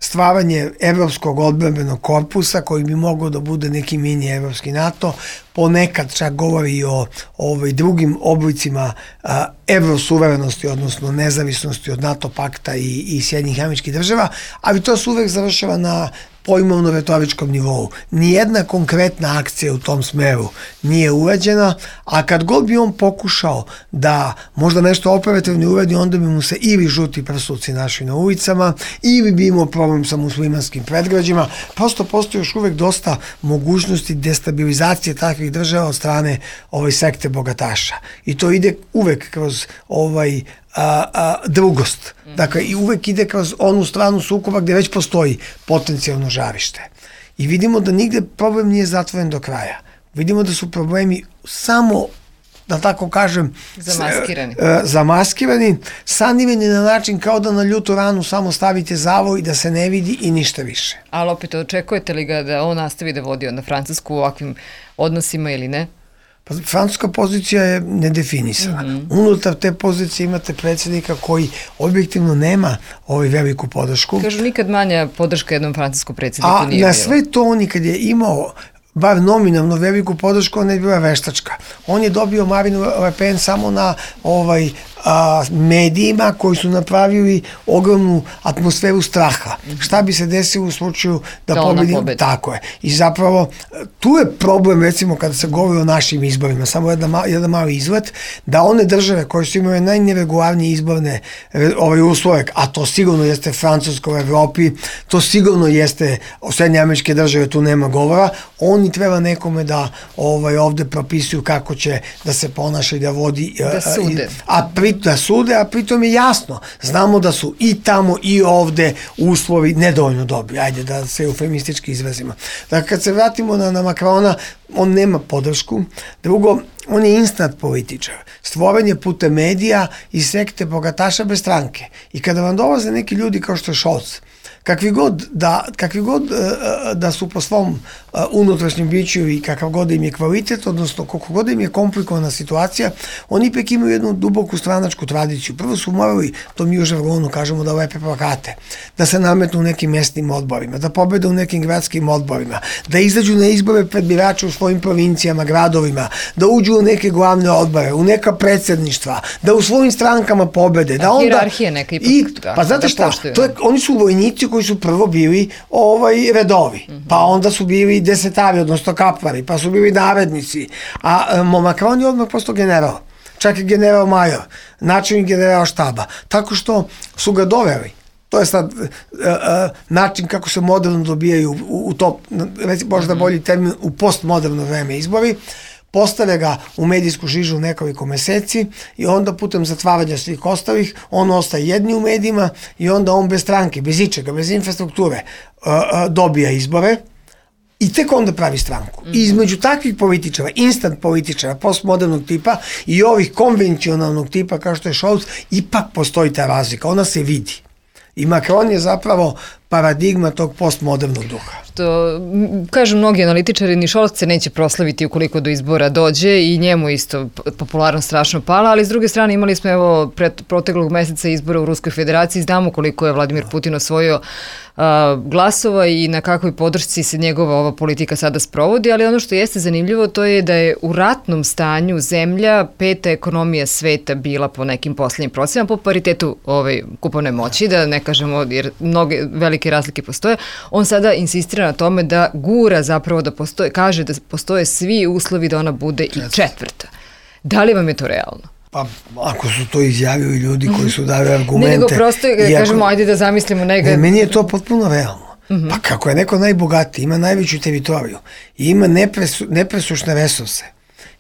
stvaranje evropskog odbrambenog korpusa koji bi mogao da bude neki mini evropski NATO, ponekad čak govori i o ovaj, drugim oblicima a, evrosuverenosti, odnosno nezavisnosti od NATO pakta i, i Sjedinjenih Američkih Država, ali to se uvek završava na pojmovno-retoričkom nivou. Nijedna konkretna akcija u tom smeru nije urađena, a kad god bi on pokušao da možda nešto operativno uradi, onda bi mu se ili žuti prsluci našli na ulicama, ili bi imao problem sa muslimanskim predgrađima. Prosto postoji još uvek dosta mogućnosti destabilizacije takvih država od strane ovaj sekte bogataša. I to ide uvek kroz ovaj A, a, drugost. Dakle, i uvek ide kroz onu stranu sukoba gde već postoji potencijalno žarište. I vidimo da nigde problem nije zatvoren do kraja. Vidimo da su problemi samo, da tako kažem, zamaskirani. S, zamaskirani, sanirani na način kao da na ljutu ranu samo stavite zavoj da se ne vidi i ništa više. Ali opet, očekujete li ga da on nastavi da vodi onda Francusku u ovakvim odnosima ili ne? Pa, francuska pozicija je nedefinisana. Mm-hmm. Unutar te pozicije imate predsjednika koji objektivno nema ovaj veliku podršku. Kažu, nikad manja podrška jednom francuskom predsjedniku A nije bila. na sve to on kad je imao bar nominalno veliku podršku, ona je bila veštačka. On je dobio Marine Le Pen samo na ovaj a, medijima koji su napravili ogromnu atmosferu straha. Mm-hmm. Šta bi se desilo u slučaju da, da pobedi? Tako je. I zapravo tu je problem, recimo kada se govori o našim izborima, samo jedan, jedan mali izlet, da one države koje su imale najneregularnije izborne ovaj uslove, a to sigurno jeste Francuska u Evropi, to sigurno jeste Sjedinjene Američke Države, tu nema govora, oni treba nekome da ovaj ovde propisuju kako će da se ponaša i da vodi da sude. A pri pri, da sude, a pritom je jasno, znamo da su i tamo i ovde uslovi nedovoljno dobri, ajde da se eufemistički izrazimo. Dakle, kad se vratimo na, na Makrona, on nema podršku, drugo, on je instant političar, stvoren je putem medija i sekte bogataša bez stranke. I kada vam dolaze neki ljudi kao što je Scholz, kakvi god da, kakvi god da su po svom unutrašnjem biću i kakav god im je kvalitet, odnosno koliko god im je komplikovana situacija, oni ipak imaju jednu duboku stranačku tradiciju. Prvo su morali, to mi u žargonu kažemo, da lepe plakate, da se nametnu u nekim mestnim odborima, da pobede u nekim gradskim odborima, da izađu na izbore pred birače u svojim provincijama, gradovima, da uđu u neke glavne odbore, u neka predsjedništva, da u svojim strankama pobede. Da onda, hijerarhija neka ipak. I, pa znate šta, to je, oni su vojnici koji su prvo bili ovaj, redovi, mm-hmm. pa onda su bili desetari, odnosno kapvari, pa su bili narednici, a Macron je odmah postao general, čak i general major, načelnik general štaba, tako što su ga doveli. To je sad uh, uh, način kako se moderno dobijaju u, u to, možda bolji termin, u postmoderno vreme izbori, postave ga u medijsku žižu nekoliko meseci i onda putem zatvaranja svih ostalih on ostaje jedni u medijima i onda on bez stranke, bez ičega, bez infrastrukture uh, uh, dobija izbore i tek onda pravi stranku. I između takvih političara, instant političara, postmodernog tipa i ovih konvencionalnog tipa kao što je Scholz, ipak postoji ta razlika, ona se vidi. I Macron je zapravo paradigma tog postmodernog duha. Što, kažu mnogi analitičari, ni Scholz se neće proslaviti ukoliko do izbora dođe i njemu isto popularnost strašno pala, ali s druge strane imali smo evo pred proteklog meseca izbora u Ruskoj federaciji, znamo koliko je Vladimir Putin osvojio a, glasova i na kakvoj podršci se njegova ova politika sada sprovodi, ali ono što jeste zanimljivo to je da je u ratnom stanju zemlja peta ekonomija sveta bila po nekim poslednjim procenama, po paritetu ovaj, kupovne moći, da ne kažemo jer mnoge velike razlike postoje. On sada insistira na tome da gura zapravo da postoje, kaže da postoje svi uslovi da ona bude i četvrta. Da li vam je to realno? Pa, ako su to izjavili ljudi koji su dali argumente... Ne, nego prosto, ako, kažemo, ajde da zamislimo nega... Ne, meni je to potpuno realno. Uh-huh. Pa kako je neko najbogatiji, ima najveću teritoriju i ima nepresu, nepresušne resurse.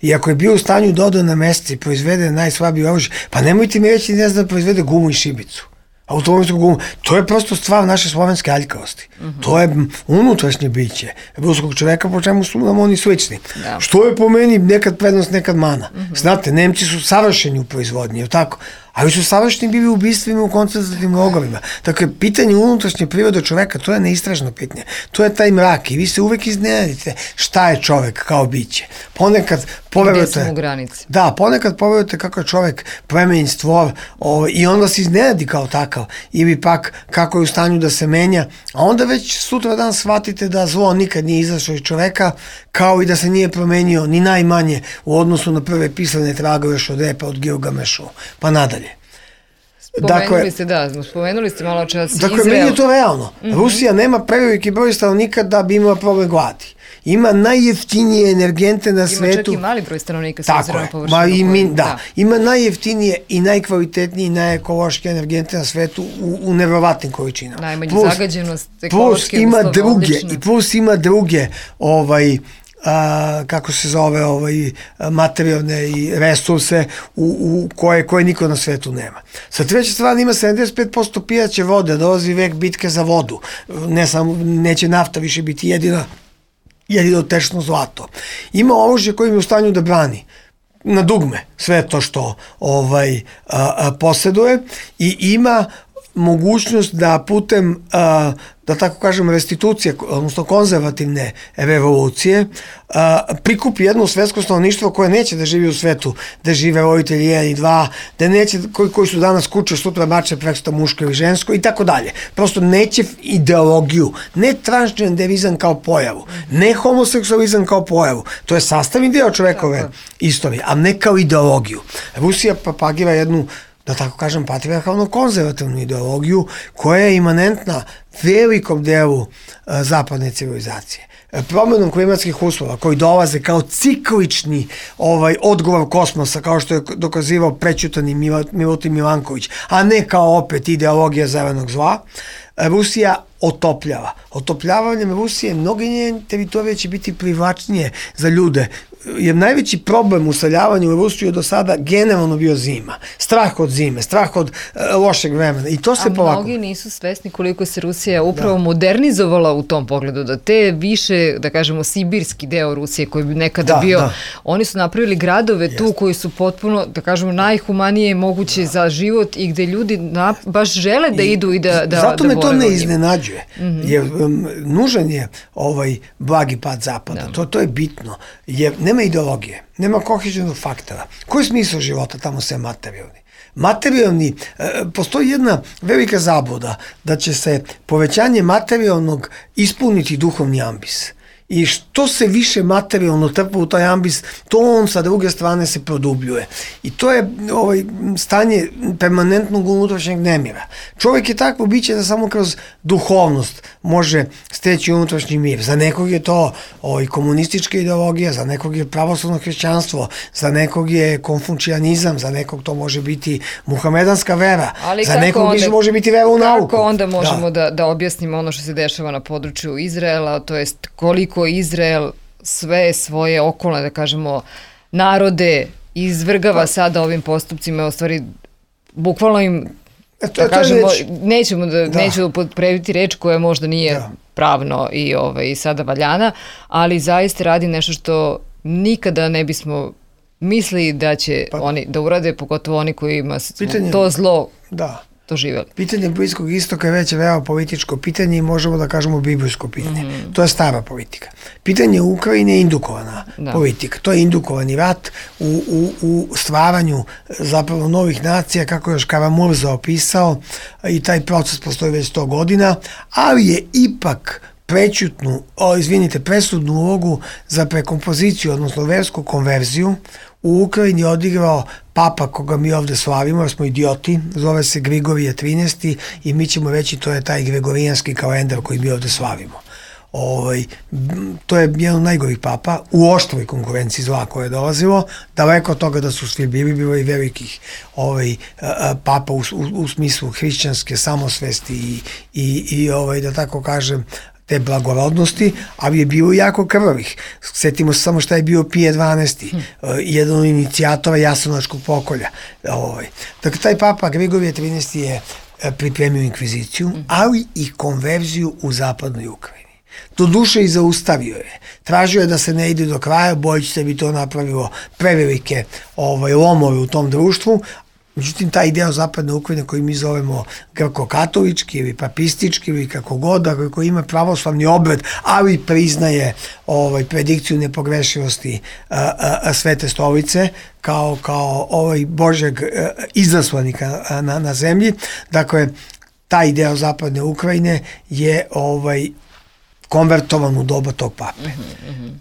I ako je bio u stanju da ode na mesec i proizvede najslabije oružje, pa nemojte mi reći ne zna da proizvede gumu i šibicu. Automobilsku gumu. To je prosto stvar naše slovenske aljkavosti. Uh-huh. To je unutrašnje biće ruskog čoveka, po čemu su nam oni slični. Da. Što je po meni nekad prednost, nekad mana. Uh-huh. Znate, Nemci su savršeni u proizvodnji, tako? Ali su savršeni bili u ubistvima u koncentrativnim logorima. Dakle, pitanje unutrašnje prirode čoveka, to je neistražno pitanje. To je taj mrak i vi se uvek iznenadite šta je čovek kao biće. Ponekad poverujete... Gde su mu granice? Da, ponekad poverujete kako je čovek plemenjen stvor o, i onda se iznenadi kao takav. Ili pak kako je u stanju da se menja. A onda već sutra dan shvatite da zlo nikad nije izašlo iz čoveka, kao i da se nije promenio ni najmanje u odnosu na prve pisane tragove Šodepa od Gilgamešu, pa nadalje. Spomenuli dakle, ste, da, spomenuli ste malo čas dakle, Izrael. Meni je to realno. Mm-hmm. Rusija nema preveliki broj stanovnika da bi imala problem gladi. Ima najjeftinije energente na ima svetu. Ima čak i mali broj stanovnika sa obzirom na površinu. Ma i mi, da. da. Ima najjeftinije i najkvalitetnije i najekološke energente na svetu u, u nevjerovatnim količinama. Najmanju plus, zagađenost, ekološke plus ima uslove, druge, odlične. i plus ima druge ovaj, a, kako se zove ovaj, materijalne i resurse u, u koje, koje niko na svetu nema. Sa treće strane ima sedamdeset pet posto pijaće vode, dolazi vek bitke za vodu. Ne samo, neće nafta više biti jedina jedino tečno zlato. Ima oružje koje je u stanju da brani na dugme sve to što ovaj, a, a, posjeduje i ima mogućnost da putem, a, da tako kažem, restitucije, odnosno konzervativne revolucije, a, prikupi jedno svetsko stanovništvo koje neće da živi u svetu, da žive roditelji jedan i dva, da neće, koji, koji su danas kuće, sutra mače, preksutra muško ili žensko i tako dalje. Prosto neće ideologiju, ne transgenderizam kao pojavu, ne homoseksualizam kao pojavu. To je sastavni deo čovekove istorije, a ne kao ideologiju. Rusija propagira jednu, da tako kažem, patrijarhalno konzervativnu ideologiju koja je imanentna velikom delu a, zapadne civilizacije. Promenom klimatskih uslova koji dolaze kao ciklični ovaj, odgovor kosmosa, kao što je dokazivao prećutani Milutin Milanković, a ne kao opet ideologija zelenog zla, Rusija otopljava. Otopljavanjem Rusije mnoge njene teritorije će biti privlačnije za ljude je najveći problem u seljavanju u Rusiju do sada generalno bio zima. Strah od zime, strah od uh, lošeg vremena. I to se A polako... mnogi nisu svesni koliko se Rusija upravo da. modernizovala u tom pogledu, da te više, da kažemo, sibirski deo Rusije koji bi nekada da, bio, da. oni su napravili gradove Jest. tu koji su potpuno, da kažemo, najhumanije moguće da. za život i gde ljudi na, baš žele da I, idu i da da Zato da me to ne iznenađuje, mm-hmm. jer um, nužan je ovaj blagi pad zapada, da. to, to je bitno, jer nema ideologije, nema kohezionog faktora. Koji je smisao života tamo sve materijalni? Materijalni, e, postoji jedna velika zabluda da će se povećanje materijalnog ispuniti duhovni ambis. I što se više materijalno trpa u taj ambis, to on sa druge strane se produbljuje. I to je ovaj, stanje permanentnog unutrašnjeg nemira. Čovjek je takvo biće da samo kroz duhovnost može steći unutrašnji mir. Za nekog je to ovaj, komunistička ideologija, za nekog je pravoslavno hrišćanstvo, za nekog je konfučijanizam, za nekog to može biti muhamedanska vera, ali za nekog onda, može biti vera u kako nauku. Kako onda možemo da. Da, da objasnimo ono što se dešava na području Izraela, to jest koliko Izrael sve svoje okolne, da kažemo, narode izvrgava pa, sada ovim postupcima, u stvari bukvalno im, to, da to kažemo, reč, nećemo da, da. neću upotrebiti reč koja možda nije da. pravno i, ovaj, i sada valjana, ali zaista radi nešto što nikada ne bismo mislili da će pa, oni da urade, pogotovo oni koji ima pitanje, to zlo da. doživjeli. Pitanje Bliskog istoka je već veoma političko pitanje i možemo da kažemo biblijsko pitanje. Mm-hmm. To je stara politika. Pitanje Ukrajine je indukovana da. politika. To je indukovani rat u, u, u stvaranju zapravo novih nacija, kako je još Karamurza opisao, i taj proces postoji već sto godina, ali je ipak prećutnu, o, izvinite, presudnu ulogu za prekompoziciju, odnosno versku konverziju u Ukrajini odigrao papa koga mi ovde slavimo, jer smo idioti, zove se Grigorije trinaesti i mi ćemo reći to je taj gregorijanski kalendar koji mi ovde slavimo. Ovaj, to je jedan od najgorih papa u oštroj konkurenciji zla koje je dolazilo, daleko od toga da su svi bili, bilo i velikih ovaj, papa u, u, u smislu hrišćanske samosvesti i, i, i ovaj, da tako kažem, te blagorodnosti, ali je bilo jako krvavih. Sjetimo se samo šta je bio Pije dvanaesti, hmm. jedan od inicijatora Jasenovačkog pokolja. Ovaj. Dakle, taj papa Grigorije trinaesti je pripremio inkviziciju, hmm. ali i konverziju u zapadnoj Ukrajini. Do duše i zaustavio je. Tražio je da se ne ide do kraja, bojeći se bi to napravilo prevelike ovaj, lomove u tom društvu. Međutim, taj deo zapadne Ukrajine koji mi zovemo grko-katolički ili papistički ili kako god, koji ima pravoslavni obred, ali priznaje ovaj, predikciju nepogrešivosti a, a, a Svete stolice kao, kao ovaj Božeg a, izaslanika a, na, na zemlji. Dakle, taj deo zapadne Ukrajine je ovaj, konvertovan u doba tog pape. Mm-hmm.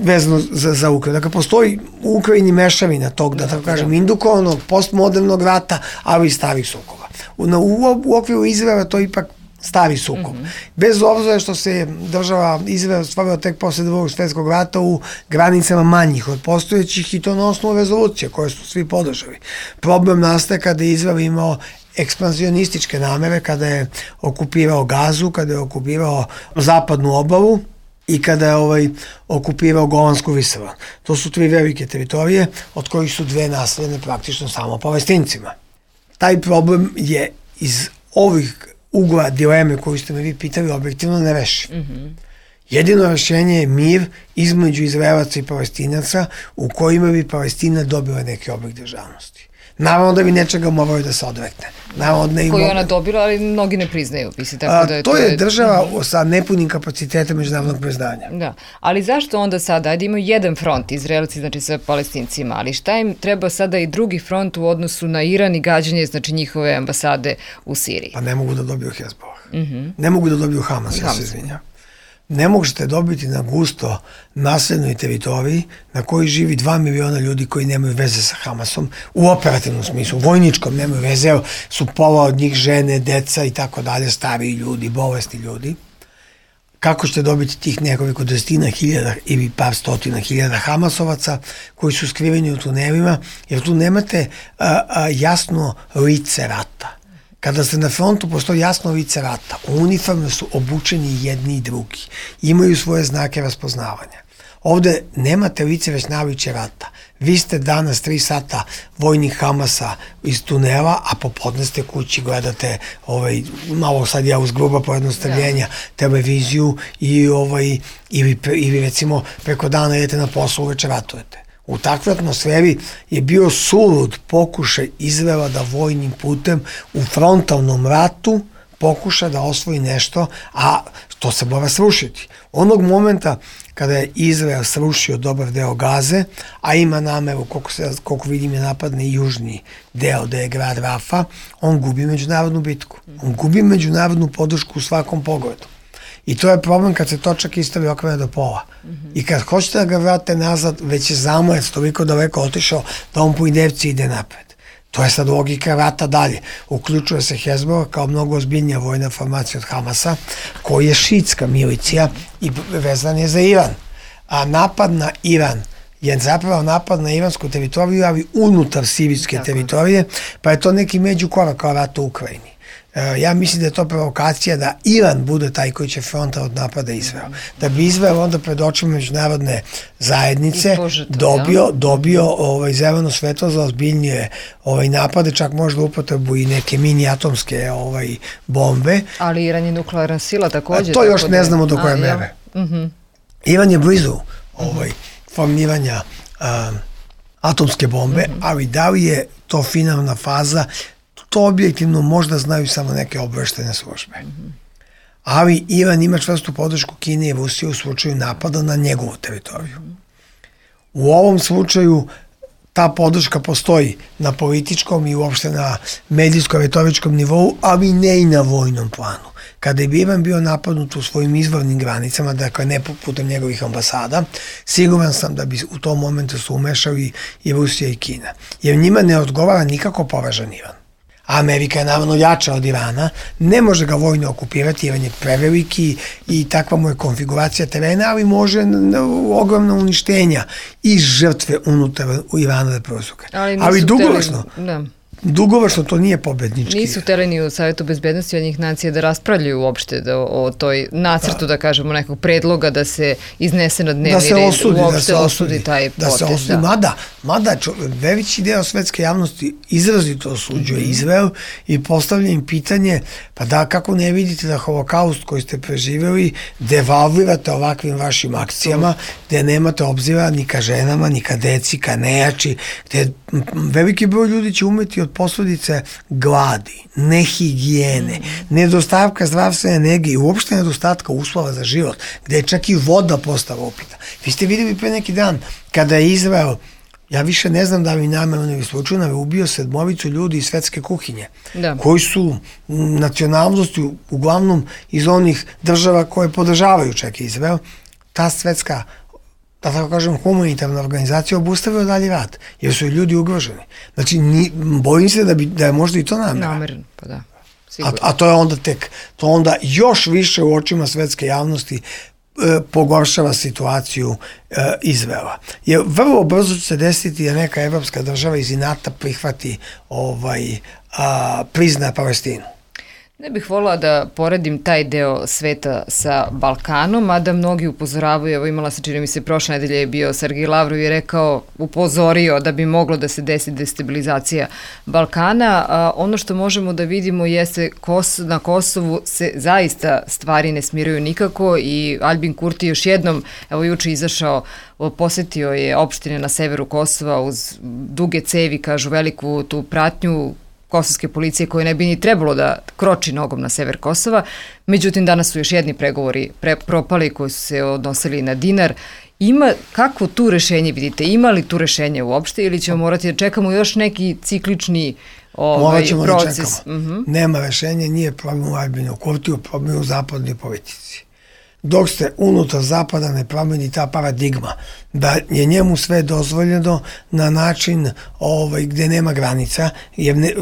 vezano za, za Ukrajinu. Dakle, postoji u Ukrajini mešavina tog, da tako kažem, indukovanog, postmodernog rata, ali i starih sukoba. U, u, u okviru Izraela to je ipak stari sukob. Mm-hmm. Bez obzira što se država Izrael stvarila tek posle drugog svjetskog rata u granicama manjih od postojećih i to na osnovu rezolucije koje su svi podržali. Problem nastaje kada je Izrael imao ekspanzionističke namere, kada je okupirao Gazu, kada je okupirao zapadnu obalu i kada je ovaj, okupirao Golansku visoravan. To su tri velike teritorije, od kojih su dve naseljene praktično samo Palestincima. Taj problem je iz ovih ugla dileme koju ste me vi pitali objektivno ne reši. Mm-hmm. Jedino rešenje je mir između Izraelaca i Palestinaca u kojima bi Palestina dobila neki oblik državnosti. Naravno da bi nečega morali da se odrekne. Naravno da koju ona dobila, ali mnogi ne priznaju. Misli, tako da je to, to je država mm-hmm. sa nepunim kapacitetom međunarodnog priznanja. Da, ali zašto onda sada, ajde imaju jedan front, Izraelci, znači sa Palestincima, ali šta im treba sada i drugi front u odnosu na Iran i gađanje, znači njihove ambasade u Siriji? Pa ne mogu da dobiju Hezbollah. Mm-hmm. Ne mogu da dobiju Hamas, ja se izvinjam. Ne možete dobiti na gusto naseljenoj teritoriji na kojoj živi dva miliona ljudi koji nemaju veze sa Hamasom u operativnom smislu, vojničkom nemaju veze, su pola od njih žene, deca i tako dalje, stariji ljudi, bolesni ljudi. Kako ćete dobiti tih nekoliko desetina hiljada ili par stotina hiljada Hamasovaca koji su skriveni u tunelima, jer tu nemate a, a, jasno lice rata. Kada ste na frontu, postoji jasno lice rata. U uniforme su obučeni jedni i drugi. Imaju svoje znake raspoznavanja. Ovde nemate lice već naviće rata. Vi ste danas tri sata vojnih Hamasa iz tunela, a popodne ste kući, gledate ovaj, malo sad ja uz gruba pojednostavljenja, televiziju i ovaj, ili, ili recimo preko dana idete na poslu, uveče ratujete. U takvoj atmosferi je bio sulud pokušaj Izraela da vojnim putem u frontalnom ratu pokuša da osvoji nešto, a to se mora srušiti. Onog momenta kada je Izrael srušio dobar deo Gaze, a ima nameru, koliko, se, koliko vidim je napadne i južni deo, da je grad Rafa, on gubi međunarodnu bitku. On gubi međunarodnu podršku u svakom pogledu. I to je problem kad se točak istavi okrene do pola. Mm-hmm. I kad hoćete da ga vrate nazad, već je zamojac toliko daleko otišao da on po idevci ide napred. To je sad logika rata dalje. Uključuje se Hezbollah kao mnogo ozbiljnija vojna formacija od Hamasa, koji je šiitska milicija i vezan je za Iran. A napad na Iran je zapravo napad na iransku teritoriju, ali unutar sirijske teritorije, pa je to neki međukorak kao rat u Ukrajini. Ja mislim da je to provokacija da Iran bude taj koji će fronta od napada Izrael. Da bi Izrael onda pred očima međunarodne zajednice dobio, dobio ovaj, zeleno svetlo za ozbiljnije ovaj, napade, čak možda upotrebu i neke mini atomske ovaj, bombe. Ali Iran je nuklearna sila također. A to još ne znamo do koje mere. Ja. Uh-huh. Iran je blizu ovaj, formiranja um, atomske bombe, uh-huh. ali da li je to finalna faza, to objektivno možda znaju samo neke obveštene službe. Mm-hmm. Ali Iran ima čvrstu podršku Kine i Rusije u slučaju napada na njegovu teritoriju. Mm-hmm. U ovom slučaju ta podrška postoji na političkom i uopšte na medijsko-retoričkom nivou, ali ne i na vojnom planu. Kada je Iran bio napadnut u svojim izvornim granicama, dakle ne putem njegovih ambasada, siguran sam da bi u tom momentu se umešali i Rusija i Kina. Jer njima ne odgovara nikako poražen Iran. Amerika je naravno jača od Irana, ne može ga vojno okupirati, Iran je preveliki i takva mu je konfiguracija terena, ali može ogromna uništenja i žrtve unutar Irana da prouzroke. Ali, ali dugoročno, da. Dugoročno to nije pobednički. Nisu hteli ni u Savjetu bezbednosti jednih nacija da raspravljaju uopšte da, o toj nacrtu, da. da kažemo, nekog predloga da se iznese na dnevni da se red, osudi, uopšte da se osudi taj da potez. Se osudi. Mada, mada čo, veći deo svetske javnosti izrazito osuđuje mm-hmm. Izrael i postavlja im pitanje, pa da kako ne vidite da holokaust koji ste preživjeli devalvirate ovakvim vašim akcijama, gde nemate obzira ni ka ženama, ni ka deci, ka nejači, gde veliki broj ljudi će umeti od posledice gladi, nehigijene, mm. nedostavka zdravstvene nege i uopšte nedostatka uslova za život, gde je čak i voda postala upita. Vi ste videli pre neki dan kada je Izrael, ja više ne znam da li namerno ili slučajno, ubio sedmovicu ljudi iz svetske kuhinje, da. Koji su nacionalnosti uglavnom iz onih država koje podržavaju čak Izrael. Ta svetska, da tako kažem, humanitarna organizacija obustavila dalje rat, jer su ljudi ugroženi. Znači, ni, bojim se da, bi, da je možda i to namera. Namerno, pa da. A, a to je onda tek, to onda još više u očima svetske javnosti e, pogoršava situaciju e, Izraela. Jer vrlo brzo će se desiti da neka evropska država iz inata prihvati ovaj, a, prizna Palestinu. Ne bih volila da poredim taj deo sveta sa Balkanom, a da mnogi upozoravaju, evo imala se, čini mi se, prošle nedelje je bio Sergej Lavrov i rekao, upozorio da bi moglo da se desi destabilizacija Balkana. A ono što možemo da vidimo jeste Kos, na Kosovu se zaista stvari ne smiruju nikako i Albin Kurti još jednom, evo juče izašao, posetio je opštine na severu Kosova uz duge cevi, kažu veliku tu pratnju kosovske policije koje ne bi ni trebalo da kroči nogom na sever Kosova. Međutim, danas su još jedni pregovori pre, propali koji su se odnosili na dinar. Ima, kako tu rešenje vidite? Ima li tu rešenje uopšte ili ćemo morati da čekamo još neki ciklični ovaj, proces? Da čekamo. Uh-huh. Nema rešenja, nije problem u Albinu Kurtiju, problem u zapadnoj politici. Dok ste unutar zapada ne promeni ta paradigma da je njemu sve dozvoljeno na način ovaj, gde nema granica, jer ne,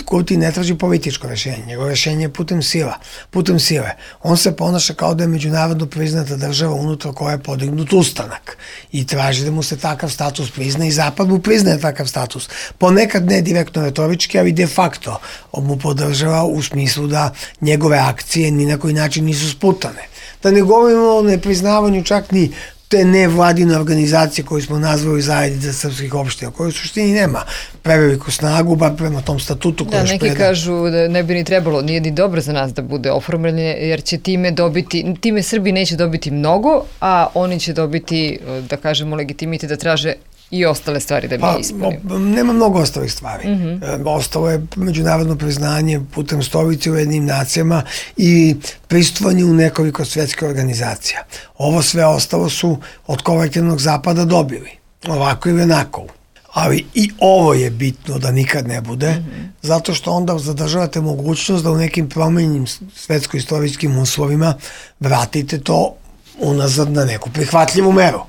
Kurti ne traži političko rešenje, njegove rešenje je putem sila, putem sile. On se ponaša kao da je međunarodno priznata država unutar koja je podignut ustanak i traži da mu se takav status prizna i zapad mu priznaje takav status. Ponekad ne direktno retorički, ali de facto mu podržava u smislu da njegove akcije ni na koji način nisu sputane. Da ne govorimo o nepriznavanju čak ni te nevladine organizacije koje smo nazvali Zajednica srpskih opština, koje u suštini nema preveliku snagu, bar prema tom statutu koji da, je neki predan. kažu da ne bi ni trebalo, nije ni dobro za nas da bude oformljeno, jer će time dobiti, time Srbi neće dobiti mnogo, a oni će dobiti, da kažemo, legitimitet da traže i ostale stvari da bi pa, ispunili. Nema mnogo ostalih stvari. Mm-hmm. Ostalo je međunarodno priznanje putem stolice u jednim nacijama i prisustvovanje u nekoliko svetskih organizacija. Ovo sve ostalo su od kolektivnog zapada dobili. Ovako ili onako. Ali i ovo je bitno da nikad ne bude, mm-hmm. zato što onda zadržavate mogućnost da u nekim promenjenim svetsko-istorijskim uslovima vratite to unazad na neku prihvatljivu meru.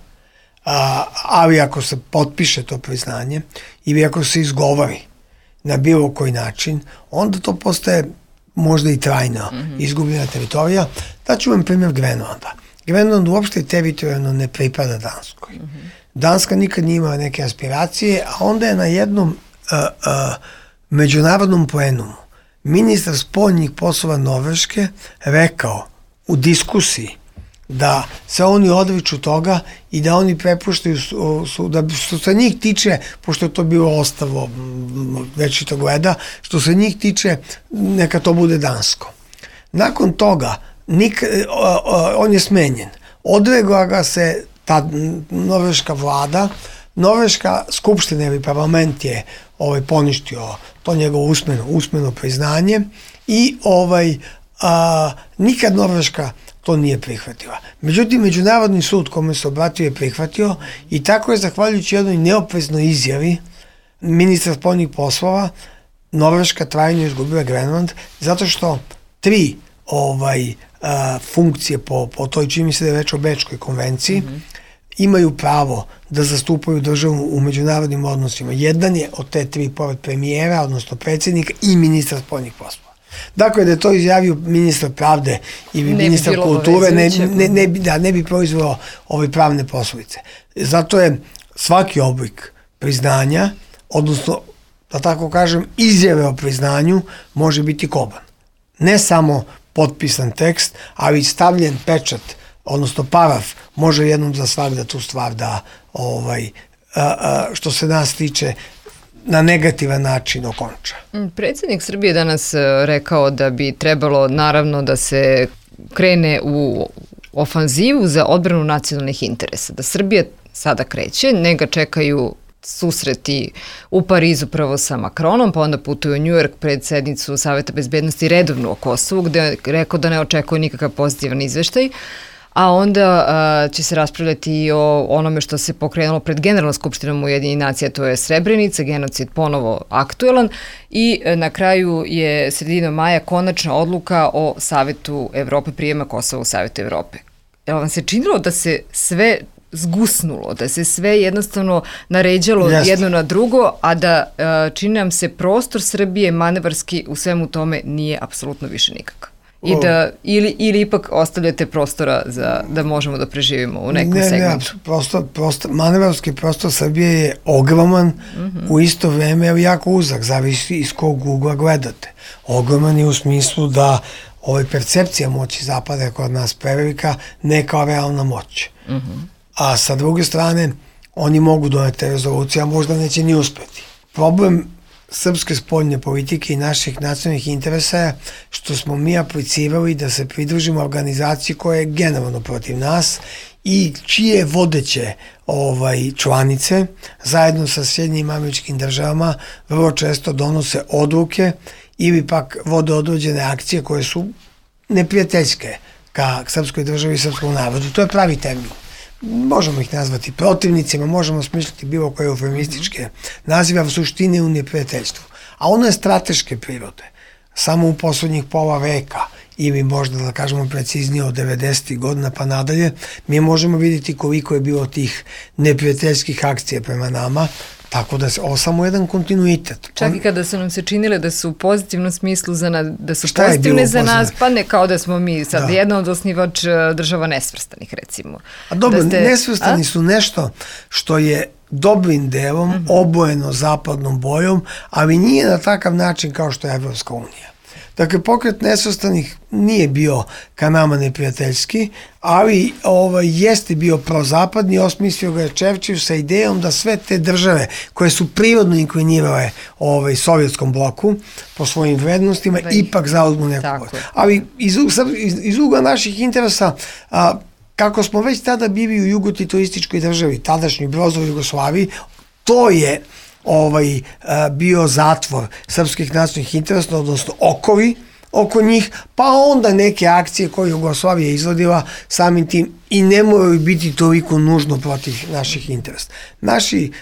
A, ali ako se potpiše to priznanje ili ako se izgovori na bilo koji način, onda to postaje možda i trajno mm-hmm. izgubljena teritorija. Daću vam primjer Grenlanda. Grenland uopšte teritorijalno ne pripada Danskoj. Mm-hmm. Danska nikad nije imala neke aspiracije, a onda je na jednom uh, uh, međunarodnom plenumu ministar spoljnih poslova Norveške rekao u diskusiji da se oni odriču toga i da oni prepuštaju, su, su, da što se njih tiče, pošto je to bilo ostalo večito gleda, što se njih tiče, neka to bude dansko. Nakon toga, nik, on je smenjen. Odregla ga se ta norveška vlada, norveška skupština ili parlament je ovaj, poništio to njegovo usmeno, usmeno priznanje i ovaj, a, nikad Norveška to nije prihvatila. Međutim, Međunarodni sud kome se obratio je prihvatio i tako je, zahvaljujući jednoj neopreznoj izjavi ministra spoljnih poslova, Norveška trajno izgubila Grenland, zato što tri ovaj, a, funkcije po, po toj, čini mi se da je reč o Bečkoj konvenciji, mm-hmm. imaju pravo da zastupaju državu u međunarodnim odnosima. Jedan je od te tri pored premijera, odnosno predsjednika i ministra spoljnih poslova. Dakle, da je to izjavio ministar pravde ili ministar kulture, ne, ne, ne, da, ne bi proizvelo ove pravne posljedice. Zato je svaki oblik priznanja, odnosno, da tako kažem, izjave o priznanju može biti koban. Ne samo potpisan tekst, ali stavljen pečat, odnosno paraf, može jednom za svakda tu stvar da, ovaj, a, a, što se nas tiče, na negativan način okonča. Predsjednik Srbije danas rekao da bi trebalo naravno da se krene u ofanzivu za odbranu nacionalnih interesa. Da Srbija sada kreće, ne ga čekaju susreti u Parizu prvo sa Macronom, pa onda putuje u New York pred sednicu Saveta bezbednosti redovnu o Kosovu, gde je rekao da ne očekuje nikakav pozitivan izveštaj, a onda a, će se raspravljati i o onome što se pokrenulo pred Generalnom skupštinom Ujedinjenih nacija, to je Srebrenica, genocid ponovo aktuelan i a, na kraju je sredinom maja konačna odluka o Savetu Evrope, prijema Kosova u Savetu Evrope. Je li vam se činilo da se sve zgusnulo, da se sve jednostavno naređalo Jeste. jedno na drugo, a da a, čini nam se prostor Srbije manevarski u svemu tome nije apsolutno više nikakav? I da, ili, ili ipak ostavljate prostora za, da možemo da preživimo u nekom ne, segmentu? Ne, prostor, prostor, manevarski prostor Srbije je ogroman, mm-hmm. u isto vreme je jako uzak, zavisi iz kog ugla gledate. Ogroman je u smislu da ovaj percepcija moći zapada je kod nas prevelika, ne kao realna moć. Mm-hmm. A sa druge strane, oni mogu doneti rezolucije, a možda neće ni uspeti. Problem srpske spoljne politike i naših nacionalnih interesa je što smo mi aplicirali da se pridružimo organizaciji koja je generalno protiv nas i čije vodeće ovaj, članice zajedno sa Sjedinjenim Američkim Državama vrlo često donose odluke ili pak vode određene akcije koje su neprijateljske ka srpskoj državi i srpskom narodu. To je pravi termin. Možemo ih nazvati protivnicima, možemo smišljati bilo koje eufemističke nazive, u suštini u neprijateljstvu. A ono je strateške prirode. Samo u poslednjih pola veka, ili možda da kažemo preciznije od devedesetih godina pa nadalje, mi možemo vidjeti koliko je bilo tih neprijateljskih akcija prema nama, tako da je ovo samo jedan kontinuitet. Čak i kada su nam se činile da su u pozitivnom smislu za na, da su Šta pozitivne za nas, pa ne kao da smo mi sad da. jedna od osnivač država nesvrstanih, recimo. A dobro, da ste, nesvrstani a? su nešto što je dobrim delom mm-hmm. obojeno zapadnom bojom, ali nije na takav način kao što je Evropska unija. Dakle, pokret nesvrstanih nije bio ka nama neprijateljski, ali ovaj, jeste bio prozapadni, osmislio ga je Čerčil sa idejom da sve te države koje su prirodno inklinirale ovaj, sovjetskom bloku po svojim vrednostima, da ipak zauzmu neku. Ali iz, iz, iz ugla naših interesa, a, kako smo već tada bili u jugotitoističkoj državi, tadašnjoj Brozovoj Jugoslaviji, to je ovaj, a, bio zatvor srpskih nacionalnih interesa, odnosno okovi oko njih, pa onda neke akcije koje Jugoslavija izvodila samim tim i ne moraju biti toliko nužno protiv naših interesa. Naši,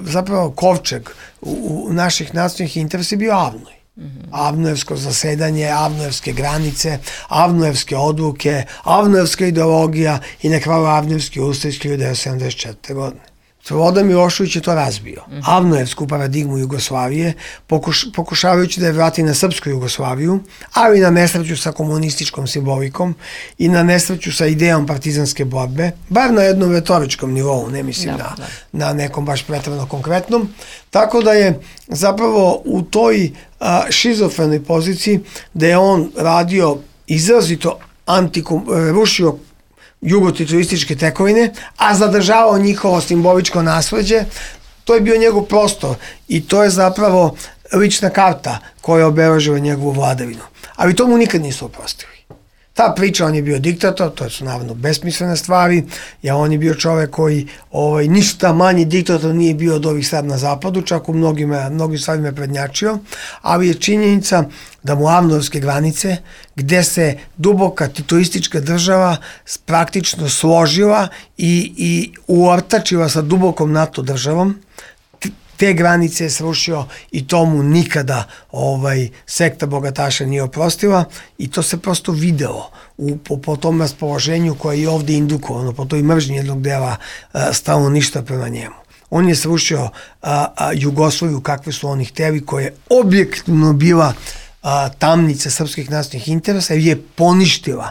zapravo, kovčeg u, u naših nacionalnih interesa je bio Avnoj. Mm-hmm. Avnojevsko zasedanje, avnojevske granice, avnojevske odluke, avnojevska ideologija i na kraju avnojevski ustav iz hiljadu devetsto sedamdeset četvrte. godine. Slobodan Milošević je to razbio. Mm-hmm. Avnojevsku paradigmu Jugoslavije, pokuš, pokušavajući da je vrati na srpsku Jugoslaviju, ali na nesreću sa komunističkom simbolikom i na nesreću sa idejom partizanske borbe, bar na jednom retoričkom nivou, ne mislim da, na, da. na nekom baš pretredno konkretnom. Tako da je zapravo u toj a, šizofrenoj poziciji da je on radio izrazito antikom, rušio jugotitoističke tekovine, a zadržavao njihovo simboličko nasleđe, to je bio njegov prostor i to je zapravo lična karta koja obeležila njegovu vladavinu. Ali to mu nikad nisu oprostili. Ta priča, on je bio diktator, to su naravno besmislene stvari, ja on je bio čovek koji ovaj, ništa manji diktator nije bio od ovih sad na zapadu, čak u mnogim, mnogim stvarima je prednjačio, ali je činjenica da mu avnojevske granice, gde se duboka titoistička država praktično složila i, i uortačila sa dubokom NATO državom, te granice je srušio i to mu nikada ovaj, sekta bogataša nije oprostila i to se prosto videlo u, po, po tom raspoloženju koje je ovde indukovano, po toj mržnji jednog dela stalno ništa prema njemu. On je srušio a, a, Jugoslaviju kakve su oni hteli, koja je objektivno bila a, tamnica srpskih nacionalnih interesa i je poništila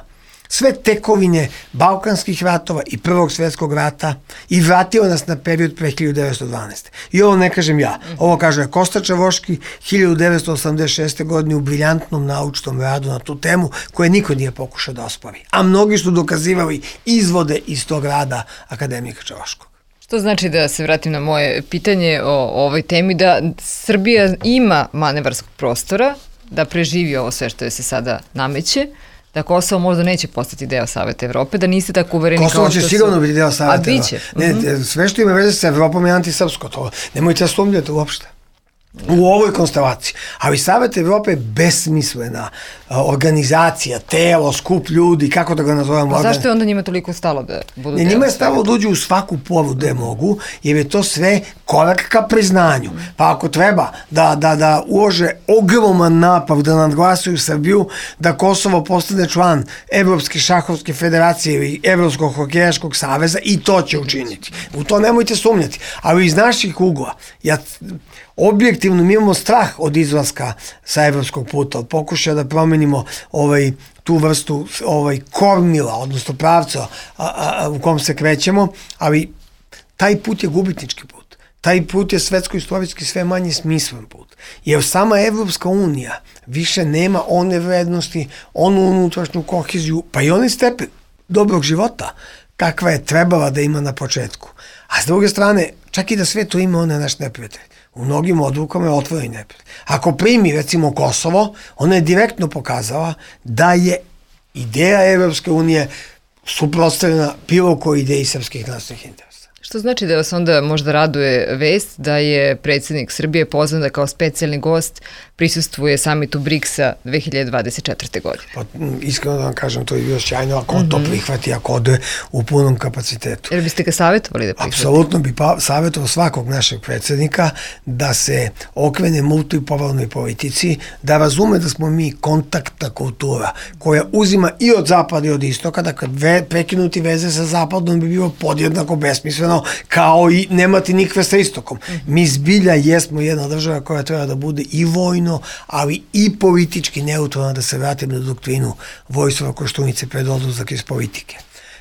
sve tekovine Balkanskih ratova i Prvog svjetskog rata i vratila nas na period pre hiljadu devetsto dvanaeste. I ovo ne kažem ja, ovo kaže Kosta Čavoški hiljadu devetsto osamdeset šeste. godine u briljantnom naučnom radu na tu temu koje niko nije pokušao da ospori. A mnogi su dokazivali izvode iz tog rada akademika Čavoškog. Što znači, da se vratim na moje pitanje o, o ovoj temi, da Srbija ima manevarskog prostora da preživi ovo sve što je se sada nameće, da Kosovo možda neće postati deo Saveta Evrope, da niste tako uvereni kao što su... Kosovo će sigurno biti deo Saveta Evrope. A biće? Ne, mm-hmm. Sve što ima veze sa Evropom je antisrpsko, to nemojte sumnjati uopšte. U ovoj konstelaciji. Ali Savet Evrope je besmislena organizacija, telo, skup ljudi, kako da ga nazovemo. A zašto je onda njima toliko stalo da budu ne, deo? Njima je stalo da uđu u svaku poru gde mogu, jer je to sve korak ka priznanju. Pa ako treba da, da, da ulože ogroman napad da nadglasuju Srbiju, da Kosovo postane član Evropske šahovske federacije ili Evropskog hokejaškog saveza, i to će učiniti. U to nemojte sumnjati. Ali iz naših ugla, ja objektivno mi imamo strah od izlaska sa evropskog puta, od pokušaja da promenimo ovaj, tu vrstu ovaj, kormila, odnosno pravca a, a, u kom se krećemo, ali taj put je gubitnički put. Taj put je svetsko-istorijski sve manje smislen put. Jer sama Evropska unija više nema one vrednosti, onu unutrašnju koheziju, pa i onaj stepen dobrog života kakva je trebala da ima na početku. A s druge strane, čak i da sve to ima, ona je naš neprijatelj. U mnogim odlukama je otvoreni neprijatelj. Ako primi, recimo, Kosovo, ona je direktno pokazala da je ideja Evropske unije suprotstavljena bilo kojoj ideji srpskih nacionalnih interesa. Što znači da vas onda možda raduje vest da je predsjednik Srbije pozvan da kao specijalni gost prisustvuje samitu briksa dve hiljade dvadeset četvrte. godine. Pa, iskreno da vam kažem, to je bilo sjajno ako on mm-hmm. to prihvati, ako ode u punom kapacitetu. Jer biste ga savjetovali da prihvati? Apsolutno bi pa, savjetovao svakog našeg predsjednika da se okrene multipolarnoj politici, da razume da smo mi kontaktna kultura koja uzima i od zapada i od istoka, da kad ve, prekinuti veze sa zapadom bi bilo podjednako besmisleno kao i nemati nikve sa istokom. Mm-hmm. Mi zbilja jesmo jedna država koja treba da bude i vojno, ali i politički neutralna, da se vratim na doktrinu Vojislava Koštunice pred odlazak iz politike.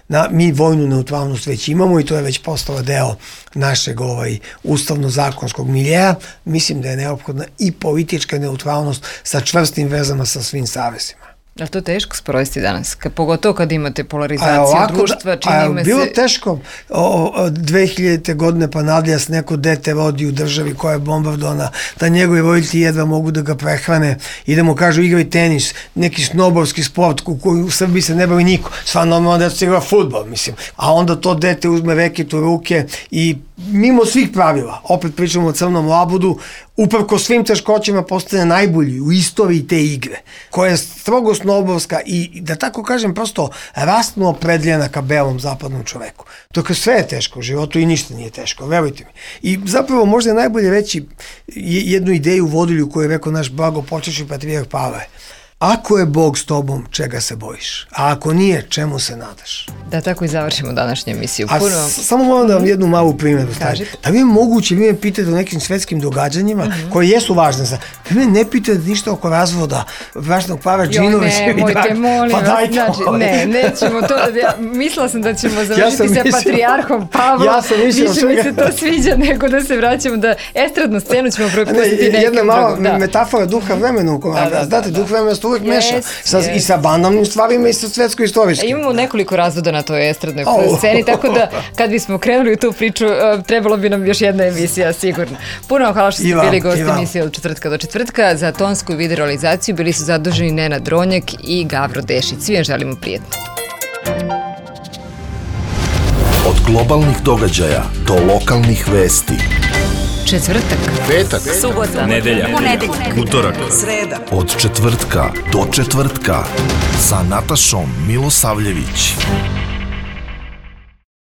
Na, mi vojnu neutralnost već imamo i to je već postala deo našeg ovaj, ustavno-zakonskog miljeja. Mislim da je neophodna i politička neutralnost sa čvrstim vezama sa svim savezima. Da to teško sprovesti danas, ka, pogotovo kad imate polarizaciju ovako, društva, čini me se... Bilo teško o, o, dve hiljadite godine pa nadalje s neko dete rodi u državi koja je bombardovana, da njegovi roditelji jedva mogu da ga prehrane i da mu kažu igraj tenis, neki snobovski sport u koji u Srbiji se ne bavi niko, sva normalno da se igra fudbal, mislim. A onda to dete uzme reket u ruke i mimo svih pravila, opet pričamo o crnom labudu, uprko svim teškoćima postane najbolji u istoriji te igre, koja je strogo snobovska i, da tako kažem, prosto rastno opredljena ka belom zapadnom čoveku. Dok sve je teško u životu i ništa nije teško, verujte mi. I zapravo možda je najbolje reći jednu ideju vodilju koju je rekao naš blago počešni patrijarh Pavle. Ako je Bog s tobom, čega se bojiš? A ako nije, čemu se nadaš? Da, tako i završimo današnju emisiju. A Puno... samo moram da vam jednu malu primjeru stavim. Da vi je moguće, vi me pitate o nekim svetskim događanjima, uh-huh. koje jesu važne za... Vi me ne pitate ništa oko razvoda bračnog para Džinovića. Jo, ne, mojte, molim pa vas, znači, ne, nećemo to, ja, mislila sam da ćemo završiti ja sa mislio, patrijarhom Pavlom, ja sam mislio, više mi se to sviđa nego da se vraćamo, da estradnu scenu ćemo propustiti ne, nekim jedna mala da. metafora duha vremena u kojom, da, da, znate, da, duh vremena se uvijek yes, meša sa, yes. i sa banalnim stvarima i sa svetsko-istorijskim. Imamo nekoliko razvoda na toj estradnoj oh. sceni, tako da kad bismo krenuli u tu priču, trebalo bi nam još jedna emisija, sigurno. Puno vam hvala što ste bili gosti emisije od četvrtka do četvrtka. Za tonsku i video realizaciju bili su zaduženi Nenad Dronjak i Gavro Dešić. Svi vam želimo prijetno. Od globalnih događaja do lokalnih vesti. Četvrtak, petak, subota, nedelja, ponedeljak, utorak, sreda. Od četvrtka do četvrtka sa Natašom Milosavljević.